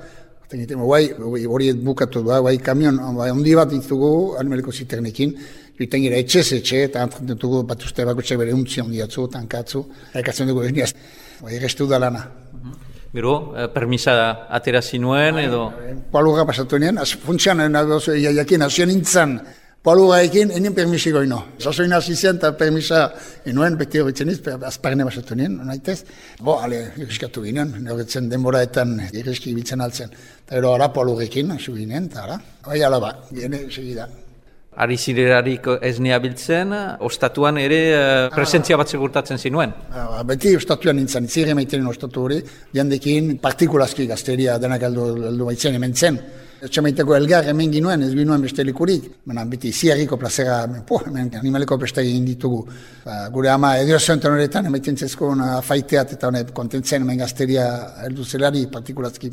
hori bukatu da, kamion, ondi bat ditugu, animaliko ziternekin, joiten gira etxe, eta antraten dugu bat uste bakotxak bere untzi ondiatzu, tankatzu, ekartzen dugu esniaz, errestu da lana. Gero, permisa atera zinuen edo? Poalurra pasatu nien, funtsian, jakin, hasien nintzen, Poaluraekin, enien permisiko ino. Zazoin hasi zen eta permisa enuen, beti horretzen iz, azparne basatu nien, naitez. Irriskatu ginen, horretzen denboraetan irriski biltzen altzen. Eta gero ara poalurekin, hasi ginen, eta ara. Alaba, gene segida. Ari zirerarik esnea biltzen, ostatuan ere presentzia bat segurtatzen zinuen? Beti ostatuan nintzen, zirre maitenen ostatu hori, jandekin partikulazki gazteria denak aldu baitzen hemen zen. Etxamaiteko elgar hemen ginuen, ez ginuen beste likurik. Beti ziarriko plazera, hemen animaleko beste egin ditugu. Gure ama ediozoenten horretan, emaiten zezkoen afaiteat eta honet kontentzen hemen gazteria heldu zelari partikulazki.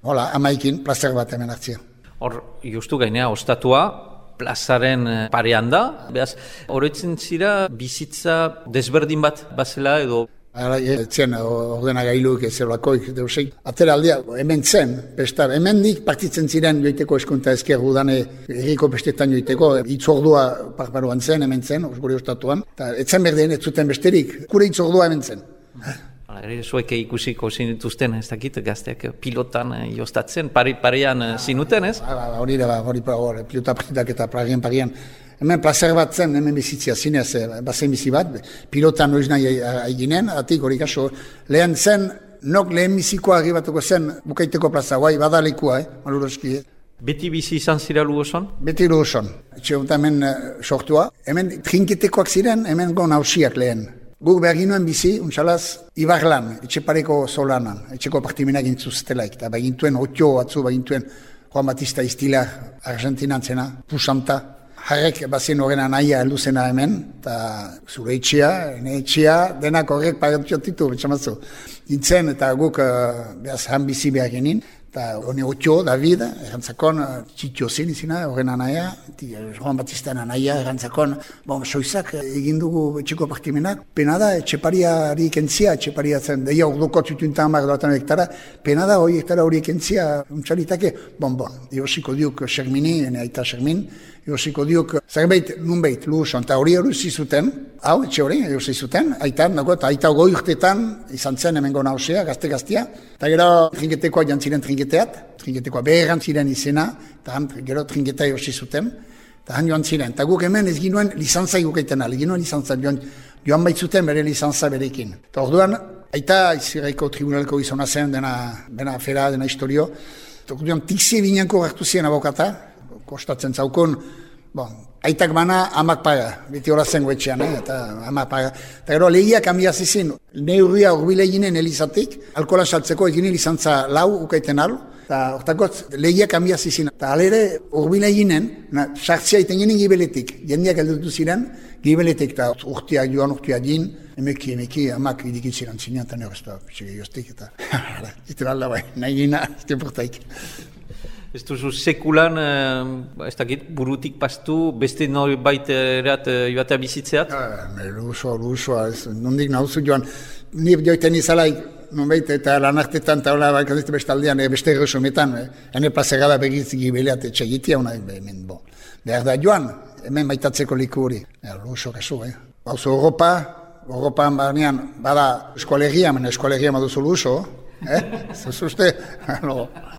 Hola, amaikin plazer bat hemen hartzia. Hor, justu gainea, ostatua, plazaren parean da. Beaz, horretzen zira bizitza desberdin bat bazela edo? Etzen ordenagailuak ezelakoik deusik. Atera aldea, hemen zen, pestar, hemen nik partitzen ziren joiteko eskunta ezker udane erriko bestetan joiteko, itzordua parparuan zen, hemen zen, gure ostatuan. Eta etzen berdeen, ez zuten besterik, gure itzordua hemen zen. Zuek ikusiko zinituzten, ez dakit, gazteak pilotan jostatzen, parean zinuten, ez? Hori da, pilota partidak eta parian. Hemen plazer bat zen, hemen bizitzia zinez, bazen bizi bat, pilotan noiz nahi eginen, atik hori kaso, lehen zen, nok lehen bizikoa agibatuko zen, bukaiteko plaza, badalekua, maluroski. Beti bizi izan zira Luoson? Beti Luoson. Etxe hemen sortua, hemen trinketekoak ziren, hemen gon hausiak lehen. Guk behar ginuen bizi, untxalaz, Ibarlan, etxe pareko solanan, etxeko partimenak intzuztelaik, eta bagintuen otio batzu, bagintuen Juan Batista Istila Argentinantzena, Pusanta. Harrek bazien horren anaia heldu hemen, eta zure etxea, ene etxea, denak horrek pagatiotitu, betxamazu. Dintzen eta guk behaz han bizi behar genin. Eta honi otio, David, errantzakon, txitio zen izina, horren anaia, Juan Batista anaia, errantzakon, soizak egin dugu etxeko partimenak, pena da, etxepariari kentzia, etxeparia zen, deia orduko txutuntan amak doatan hektara, pena da hori hektara hori kentzia, untxalitake, Iosiko diuk Xermini, ene aita Xermin, Iosiko diuk, zerbait, nunbait, Luuson, eta hori zuten, hau, etxe hori, erosi zuten, aitan, eta aita goi urtetan, izan zen hemengo nausea, gazte-gaztia, eta gero trinketekoa jantziren trinketekoa beheran ziren izena, eta gero trinketa erosi zuten, eta han joan ziren. Eta guk hemen ez ginuen lizantza gukaiten ala, ginuen lizantza, joan baitzuten bere lizantza berekin. Eta orduan, aita iziraiko tribunaleko izona zen, dena afera, dena historio, eta orduan tikze binanko hartu ziren abokata, kostatzen zaukon, aitak bana amak paga, beti hola zen goetxean, eta amak paga. Eta gero lehiak hanbia zizin, neurria urbile eginen elizatik, alkohola saltzeko eginen lizantza lau ukaiten alu, eta hortakotz lehiak hanbia zizin. Eta alere urbile eginen, sartzia iten ginen gibeletik, jendeak heldutu ziren, gibeletik, eta urtiak joan urtiak jin, emeki, amak idikitziran zinean, eta nire ez jostik, eta iten alda bai, nahi gina, iten portaik. Ez duzu sekulan, ez dakit, burutik pastu, beste norbait erat joatea bizitzeat? Luzoa, nondik nahuzu joan. Ni joiten izalaik, nonbait, eta lanartetan, eta hola, bakazizte bestaldean, beste erosometan, hene plazegada begitzik beleat etxegitia, hemen, behar da joan, hemen maitatzeko liku hori. Luzo, kasu, Bauzu Europan barnean, bada eskualegia, eskualegia maduzu Luzo, Zuzuste?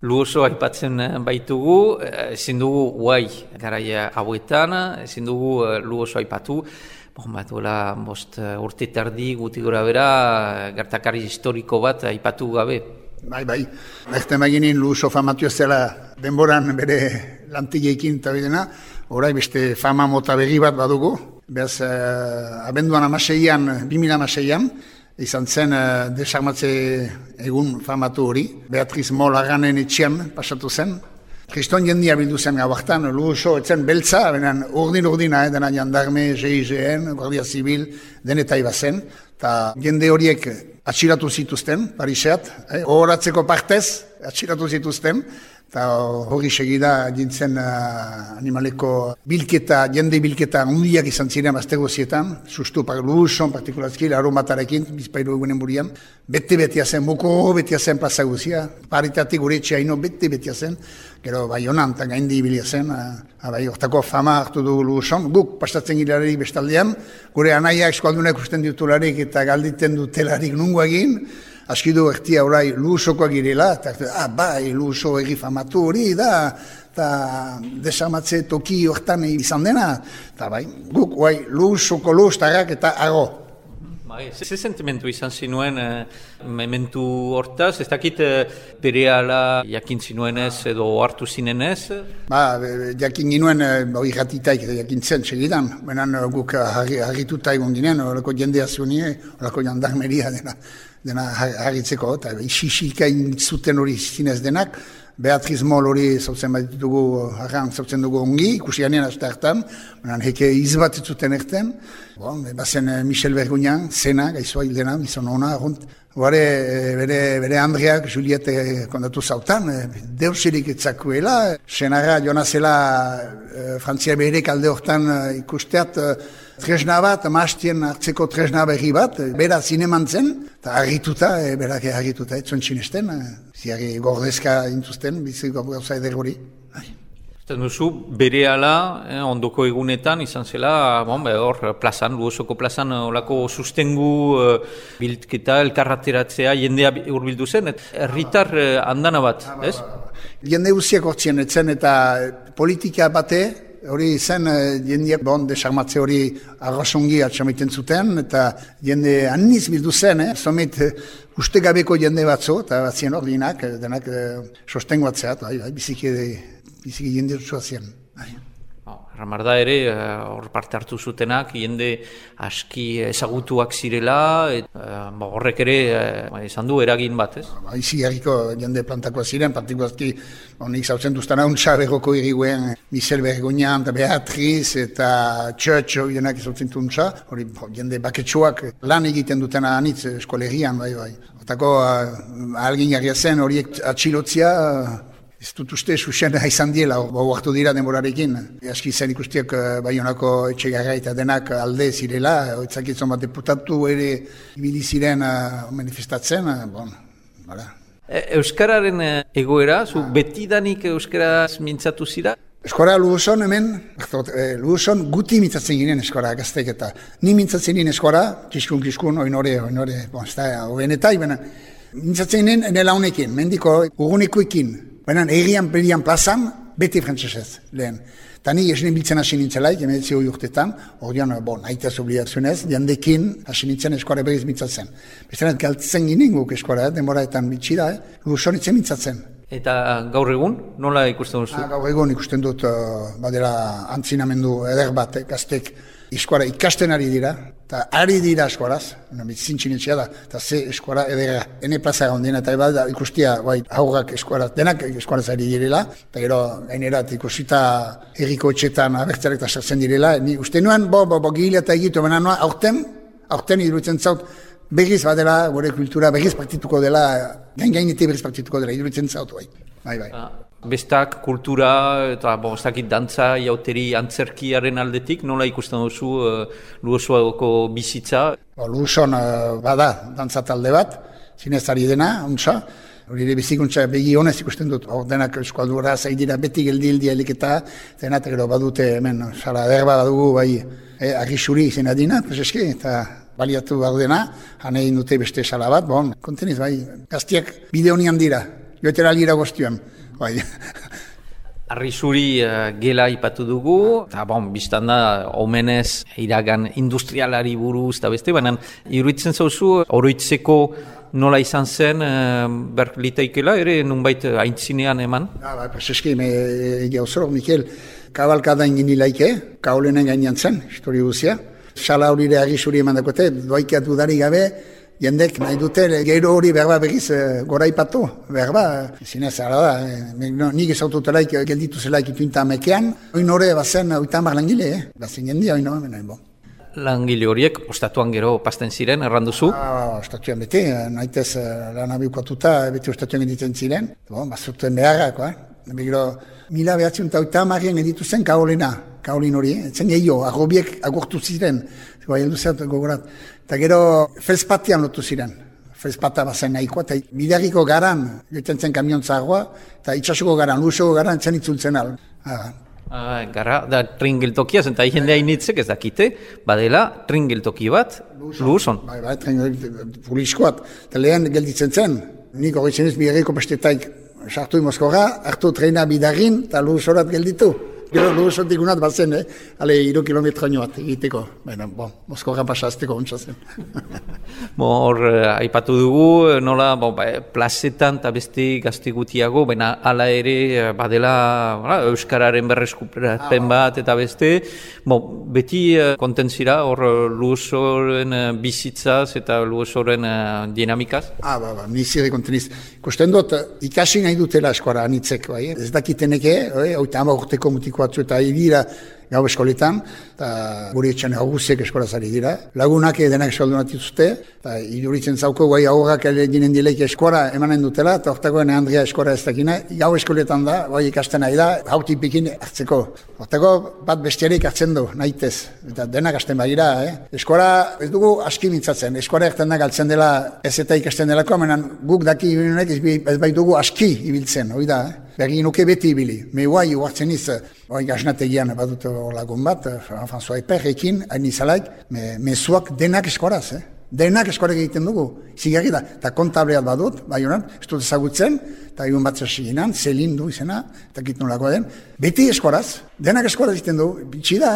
Luoso aipatzen baitugu, ezin dugu guai garaia hauetan, ezin dugu Luoso aipatu. Duela bost urte tardi guti gora bera, gertakari historiko bat aipatu gabe. Bai. Erten baginin Luoso famatu ez zela denboran bere lantigeekin eta bidena, orai beste fama mota berri bat badugu. Beraz, abenduan 2006an, izan zen desarmatze egun famatu hori. Beatriz Molaganen etxean pasatu zen. Kriston jendia bildu zen gauaktan, Luoso etzen beltza, benen urdina, dena jandarme, GIGN, Guardia Zibil, denetai bazen. Eta jende horiek atxiratu zituzten, Pariseat, horatzeko partez atxiratu zituzten. Eta hori segida jintzen animaleko bilketa, jende bilketa hundiak izan ziren aztegozietan, sustu Luoson, partikularski, larun batarekin, bizpairu egunen burian, bete-betea zen, buko betea zen plaza guzia, paritatik gure etxeaino bete-betea zen, gero bai honan, eta gaindi ibilia zen, hortako fama hartu du Luoson, guk pastatzen gilarik bestaldean, gure anaiak eskualdunak usten ditularik eta galditen dutelarik nungo egin, askidu ertia orai Luosoko girela, eta bai, Luoso egi famatu hori da, eta desamatze toki hortan izan dena, eta bai, guk Luosoko Luostarrak eta ago. Ze sentimentu izan zinuen mementu hortaz, ez dakit berehala jakin zinuenez edo hartu zinenez? Jakin ginuen hori ratitaik jakintzen segidan, benen guk harrituta egon ginen, horako jendea zunie, horako jandarmeria dena harritzeko, eta isisika zuten hori zinez denak, Beatriz Mol hori zautzen bat ditugu, zautzen dugu ongi, ikusi ganean azte hartan, heke izbat zuten erten, bazen Michel Bergunian, zena, gaizua hildena, izan hona, bere Andreak, Juliette kondatu zautan, deuserik etzakuela, senara jonazela Frantzia berek alde hortan ikusteat, tresna bat, maastien hartzeko tresna berri bat, bera zineman zen, eta harrituta, berak harrituta, etzuen txinesten, ziari gordezka intuzten, biziko gauza eder hori. Zaten duzu, berehala, ondoko egunetan, izan zela, hor plazan, Luosoko plazan, olako sustengu bildketa, elkarrateratzea, jendea urbildu zen, herritar andana bat, ez? Jende guziak hortzien, etzen eta politika bate, hori zen jendeak desarmatze hori arrasongi atxamaiten zuten, eta jende aniz bildu zen, somet ustegabeko jende batzu, eta batzien ordinak, denak sostengu batzeat, biziki jende dutzua zien. Armarda ere, hor parte hartu zutenak, jende aski ezagutuak zirela, horrek ere izan du eragin bat, ez? Izi herriko jende plantakoa ziren, partikuazki nik zautzen duztana untsa berroko iriguen Michel Bergognan, eta Beatriz, eta Church, horiek izautzen untsa, hori jende baketsuak lan egiten dutena anitz eskolegian, bai. Otako ahalgin jarria zen horiek atxilotzia, ez dut uste susen izan diela, hartu dira denborarekin. Aski zen ikustiak Baionako Etxegarra eta denak alde zirela, etzakitzen bat deputatu ere ibili ziren manifestatzen, bala. Euskararen egoera, zu betidanik euskaraz mintzatu zira? Eskora Luoson hemen, Luoson guti mintzatzen ginen eskora gaztek eta ni mintzatzen ginen eskora, kiskun, oinore, ez da, hobenetai, mintzatzen ginen enela honekin, mendiko urgunekoekin, egian berian plazan, beti frantzesez, lehen. Eta ni esnen biltzen hasi nintzelaik, emeetzi hori urtetan, ordean, nahitaz obligatzionez, jandekin hasi nintzen eskora berriz mintzatzen. Bestean, galtzen ginen guk eskora, denboraetan bitxida, Luoson itzen mintzatzen. Eta gaur egun, nola ikusten duzu? Gaur egun ikusten dut, badera antzinamendu eder bat, gaztek eskora ikasten ari dira, eta ari dira eskoraz, zintxinetxea da, eta ze eskora edera, ene plaza gaundena, eta eba ikustia, haurrak eskoraz, denak eskoraz ari direla, eta gero, gainerat ikusita herriko etxetan abertzarek eta sartzen direla, ni uste nuen, gila eta egitu, baina nuen, aurten iruditzen zaut, berriz badela, gure kultura berriz partituko dela, gainete berriz partituko dela, iruditzen zaut, bai. Bestak, kultura, eta ez dakit dantza, jauteri, antzerkiaren aldetik, nola ikusten duzu Luosoako bizitza? Luoson bada, dantza talde bat, zinez ari dena, untsa, hori ere bizikuntza begi honez ikusten dut, denak eskualdura zaidira beti geldi eliketa, denak gero badute hemen, sala derba badugu, argisuri izena dina, prezeski, eta baliatu badudena, hanei dute beste sala bat, konteniz, gaztiak bide honian dira, joetera algira goztioan. Arrisuri gela ipatu dugu, eta biztan da, omenez iragan industrialari buruz eta beste, baina iruditzen zauzu, oroitzeko nola izan zen berliteikela, ere nunbait aintzinean eman? Prezeski, egia osoro, Mikel, kabalkada ingin nilaike, kaolenen gainean zen, histori guzia. Sala horire arrisuri eman dakote, doaikia dudari gabe, jendek nahi dute gero hori berba berriz goraipatu, berba, zinez ara da, nik ezaututelaik gelditu zelaik ituinta amekean, oin hori bazen oitamar langile, bazen jendia oin hori, Langile horiek, ostatuan gero pasten ziren, erranduzu? Ostatuan beti, nahitez lan abikuatuta, beti ostatuan editzen ziren, bazurtuen beharrak, Begiro, 1980 editu zen kaolin hori, etzen gehiago, agobiek agortu ziren, heldu zert gogorat. Eta gero, felspatian lotu ziren, felspata bazen nahikoa, eta bidarriko garan, joiten zen kamion zagoa, eta itxasuko garan, Luosoko garan, etzen itzultzen al. Gara, da tringeltokia, zenta jendea initzek ez dakite, badela tringeltoki bat, Luoson. Bai, puliskoat, eta lehen gelditzen zen, nik hori zenez bidarriko bestetaik, sartu Moskorra, hartu trena bidarrin, eta Luosorat gelditu. Gero Luosotik unat bazen, 3 kilometro bat egiteko. Baina, Moskorra pasazteko ontsa zen. Hor, aipatu dugu, nola, plazetan eta beste gazte gutiago, baina hala ere badela euskararen berreskurapen bat eta beste, beti kontentzira hor Luosoren bizitzaz eta Luosoren dinamikaz? Nizire konteniz. Kosten dut, ikasi nahi dutela eskora anitzek, ez dakiteneke, hauta urteko mutiko batzu eta dira gau eskoletan, eta guri etxan augusek eskolaz ari dira. Lagunak denak eskoldunak dituzte, eta iduritzen zauko guai aurrak ginen dileik eskora emanen dutela, eta hortakoen Andrea eskora ez dakina, gau eskoletan da, guai ikasten nahi da, hautik pikin hartzeko. Hortako bat bestiarik hartzen du, nahitez, eta denak hasten badira. Eskora ez dugu aski mintzatzen, eskora erten da galtzen dela ez eta ikasten delako, amenan guk daki ibilunek ez bai dugu aski ibiltzen, hori da. Bergin nuke beti ibili. Me guai uartzen iz, gaznategian badut lagun bat, François Eperrekin, hain izalaik, mezuak denak eskoraz, Denak eskorak egiten dugu, zigarri da. Eta kontableat badut, bai honan, ez dut ezagutzen, eta egun bat zasiginan, Zelindu izena, eta kitu nolakoa den. Beti eskoraz, denak eskoraz egiten dugu, bitxi da,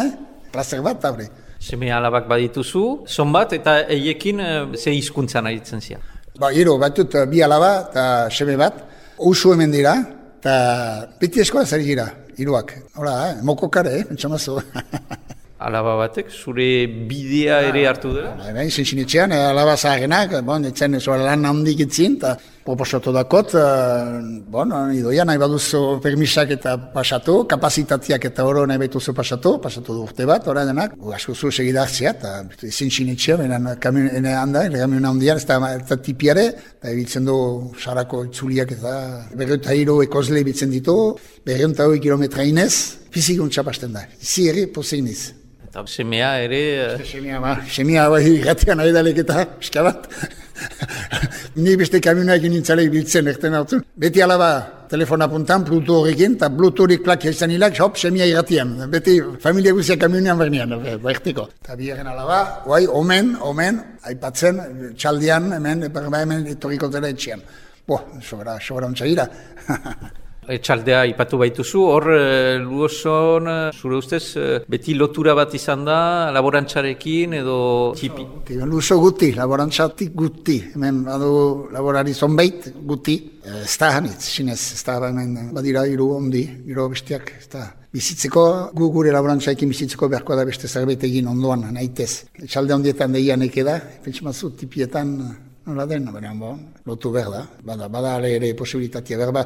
plazer bat, tabre. Seme alabak badituzu, zon bat, eta eiekin ze hizkuntzan aritzen zia? Batut bi alaba eta seme bat, usu hemen dira, eta beti eskoraz ari gira. hiruak. Hola, mokokare, pentsamazu. Alaba batek, zure bidea ere hartu dela? Bai, zinetxean, alaba zaharenak, etzen lan handik itzin, eta proposatu dakot, idoia nahi baduzu permisak eta pasatu, kapazitatiak eta oro nahi baituzu pasatu du urte bat, ora denak, asko segidartzea, eta zinetxean, kamion handian, ez da tipiare, eta ebitzen du sarako itzuliak eta 203 ekozle ebitzen ditu, 208 kilometra inez, fizikuntza pasten da, ere pozeiniz. Eta semea ere... Semea irratian nahi dalek eta pixka bat. Ni beste kamionak nintzalek biltzen erten hartu. Beti alaba telefona puntan, Bluetooth horrekin, eta Bluetoothik plakia izan hilak, hop, semea irratian. Beti familia guzia kamionean bernean, bertiko. Eta biherren alaba, omen, aipatzen, txaldian, hemen etorriko dela etxean. Sobra ontsagira. Etxaldea ipatu baituzu, hor Luoson, zure ustez, beti lotura bat izan da, laborantzarekin edo txipi? Luoso guti, laborantzatik guti. Hemen badu laborari zonbait guti. Ez da hanitz, sinez, ez da hemen badira hiru ondi, hiru bestiak. Bizitzeko, gure laborantzaekin bizitzeko beharko da beste zerbait egin ondoan, nahitez. Etxalde ondietan deianek eda, pentsamazu tipietan nola den, lotu behar da. Bada ere posibilitatea behar da.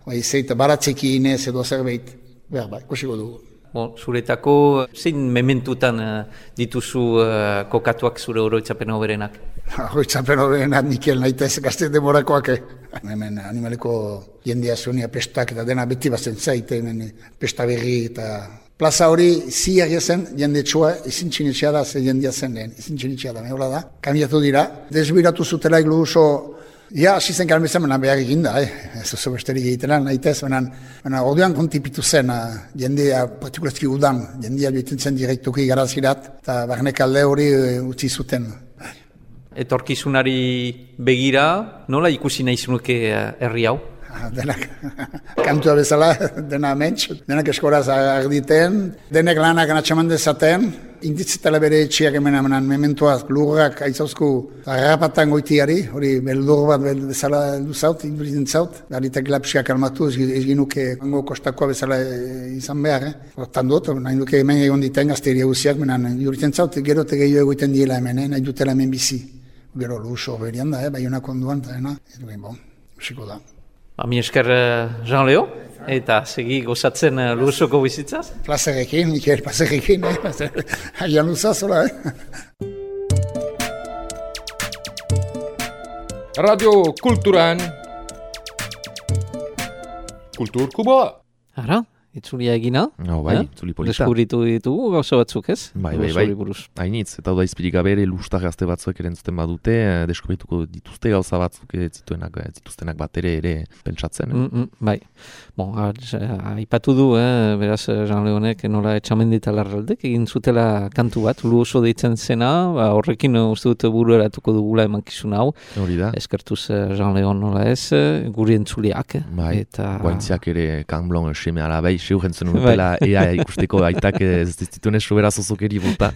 Zeita baratzekin ez edo zerbait, ikusiko dugu. Zuretako, zein mementutan dituzu kokatuak zure oroitzapen hoberenak? Oroitzapen hoberenak nikel nahitez gazte demorakoak. Hemen animaleko jendea zuenia pestak eta dena beti bazen zaite, hemen pesta berri eta... Plaza hori ziarria zen, jende txua, ezin txinitxea da, ze jendea zen lehen, ezin txinitxea da, mehola da. Kambiatu dira, desbiratu zutela iglu oso... Ja, hasi zen kalmezan, behar egin da, ez oso besterik egiten nahitez, orduan kontipitu zen, jendea, partikulazki udan, jendea joiten zen direktuki garazirat, eta barnek alde hori utzi zuten. Etorkizunari begira, nola ikusi nahi zunuke herri hau? Denak, kantua bezala, dena mentx, denak eskoraz arditen, denek lanak anatxaman dezaten, inditzetela bere etxiak hemen mementoaz, lurrak aizauzku harrapatan goitiari, hori beldur bat bezala duzaut, induritzen zaut, garitak lapsiak almatu, ez ginuke hango kostakoa bezala izan behar, hortan dut, nahi duke hemen egon diten gazteria guziak, induritzen zaut, gero gehiago egoiten diela hemen, nahi dutela hemen bizi, gero luso berian da, baionak onduan, eta ez duen, usiko da. Mi esker Jean Leo, eta segi gozatzen Luosoko bizitzaz? Plazerekin, Mikel, plazerekin, haian luzaz, hola, Radio Kulturan, Kulturkuboa. Ara, itzulia egina. Itzuli polita. Deskubritu ditugu gauza batzuk, ez? Bai. Hainitz, eta da izpirik gabe ere lustar gazte batzuek erentzuten badute, deskubrituko dituzte gauza batzuk zituztenak bat ere pentsatzen. Bai. Aipatu du, beraz, Jean Leonek nola etxamendita larraldek egin zutela kantu bat, Luoso deitzen zena, horrekin uste dut buru eratuko dugula emankizun hau. Hori da. Eskertuz Jean Leon nola ez, guri entzuliak. Bai, guaintziak ere kanblon seme alabai, seuren zen unutela ea ikusteko aitak ez dituen sobera zozokeri bota.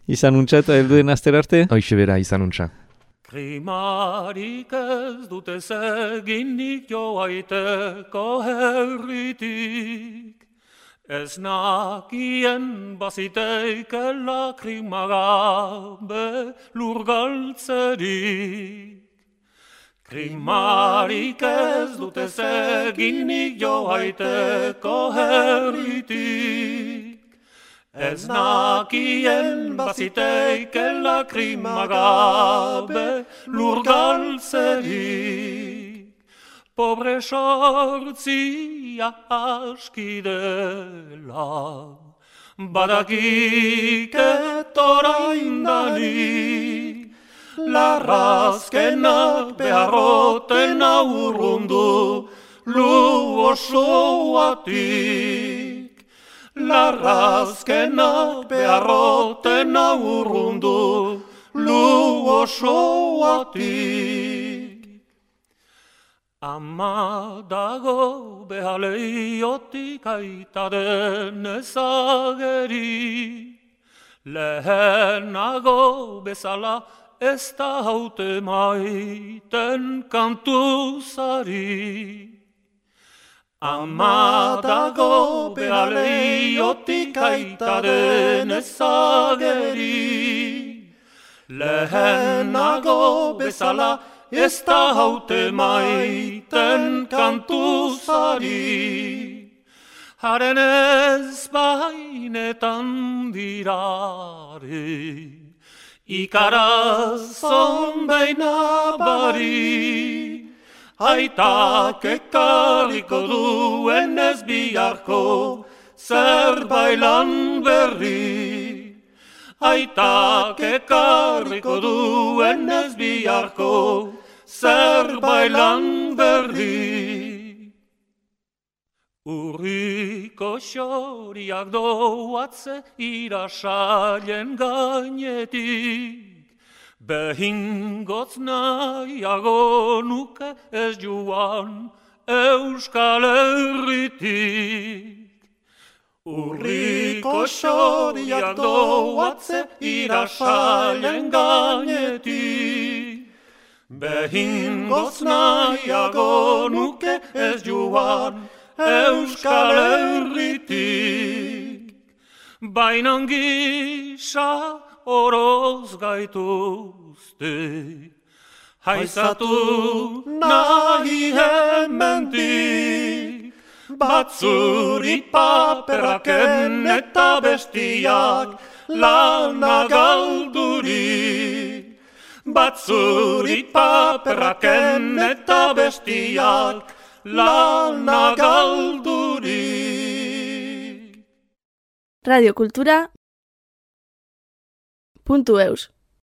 Izan untxa eta helduen azter arte? Hoixe bera, izan untxa. Krimarik ez dute zeginik joaiteko herritik, ez nakien baziteikela krimagabe lurgaltzerik. Krimarik ez dute zeginik joaiteko herritik, ez nakien baziteikela krimagabe lurgaltzerik. Pobre sortzia askidela, badakik etoraindanik, larrazkenak beharroten aurrundu Luosoatik. Larrazkenak beharroten aurrundu Luosoatik. Ama dago behaleiotik aitaren ezageri, lehenago bezala ez da haute maiten kantuzari. Ama dago behaleiotik aitaren ezageri. Lehenago bezala ez da haute maiten kantuzari. Haren ez bainetan dirare, ikarazon beina bari. Aitak ekarriko duen ez biharko zer bailan berri. Aitak ekarriko duen ez biharko zer bailan berri. Urriko xoriak doatze irasailen gainetik. Behingotz nahiago nuke ez joan Euskal Herritik. Urriko xoriak doatze irasailen gainetik. Behingotz nahiago nuke ez joan Euskal Herritik. Bainan gisa oroz gaituzte, haizatu nahi hemendik, batzuri paperaken eta bestiak lana galdurik. Batzuri paperaken eta bestiak lana galdurik. Radio Kultura. .eus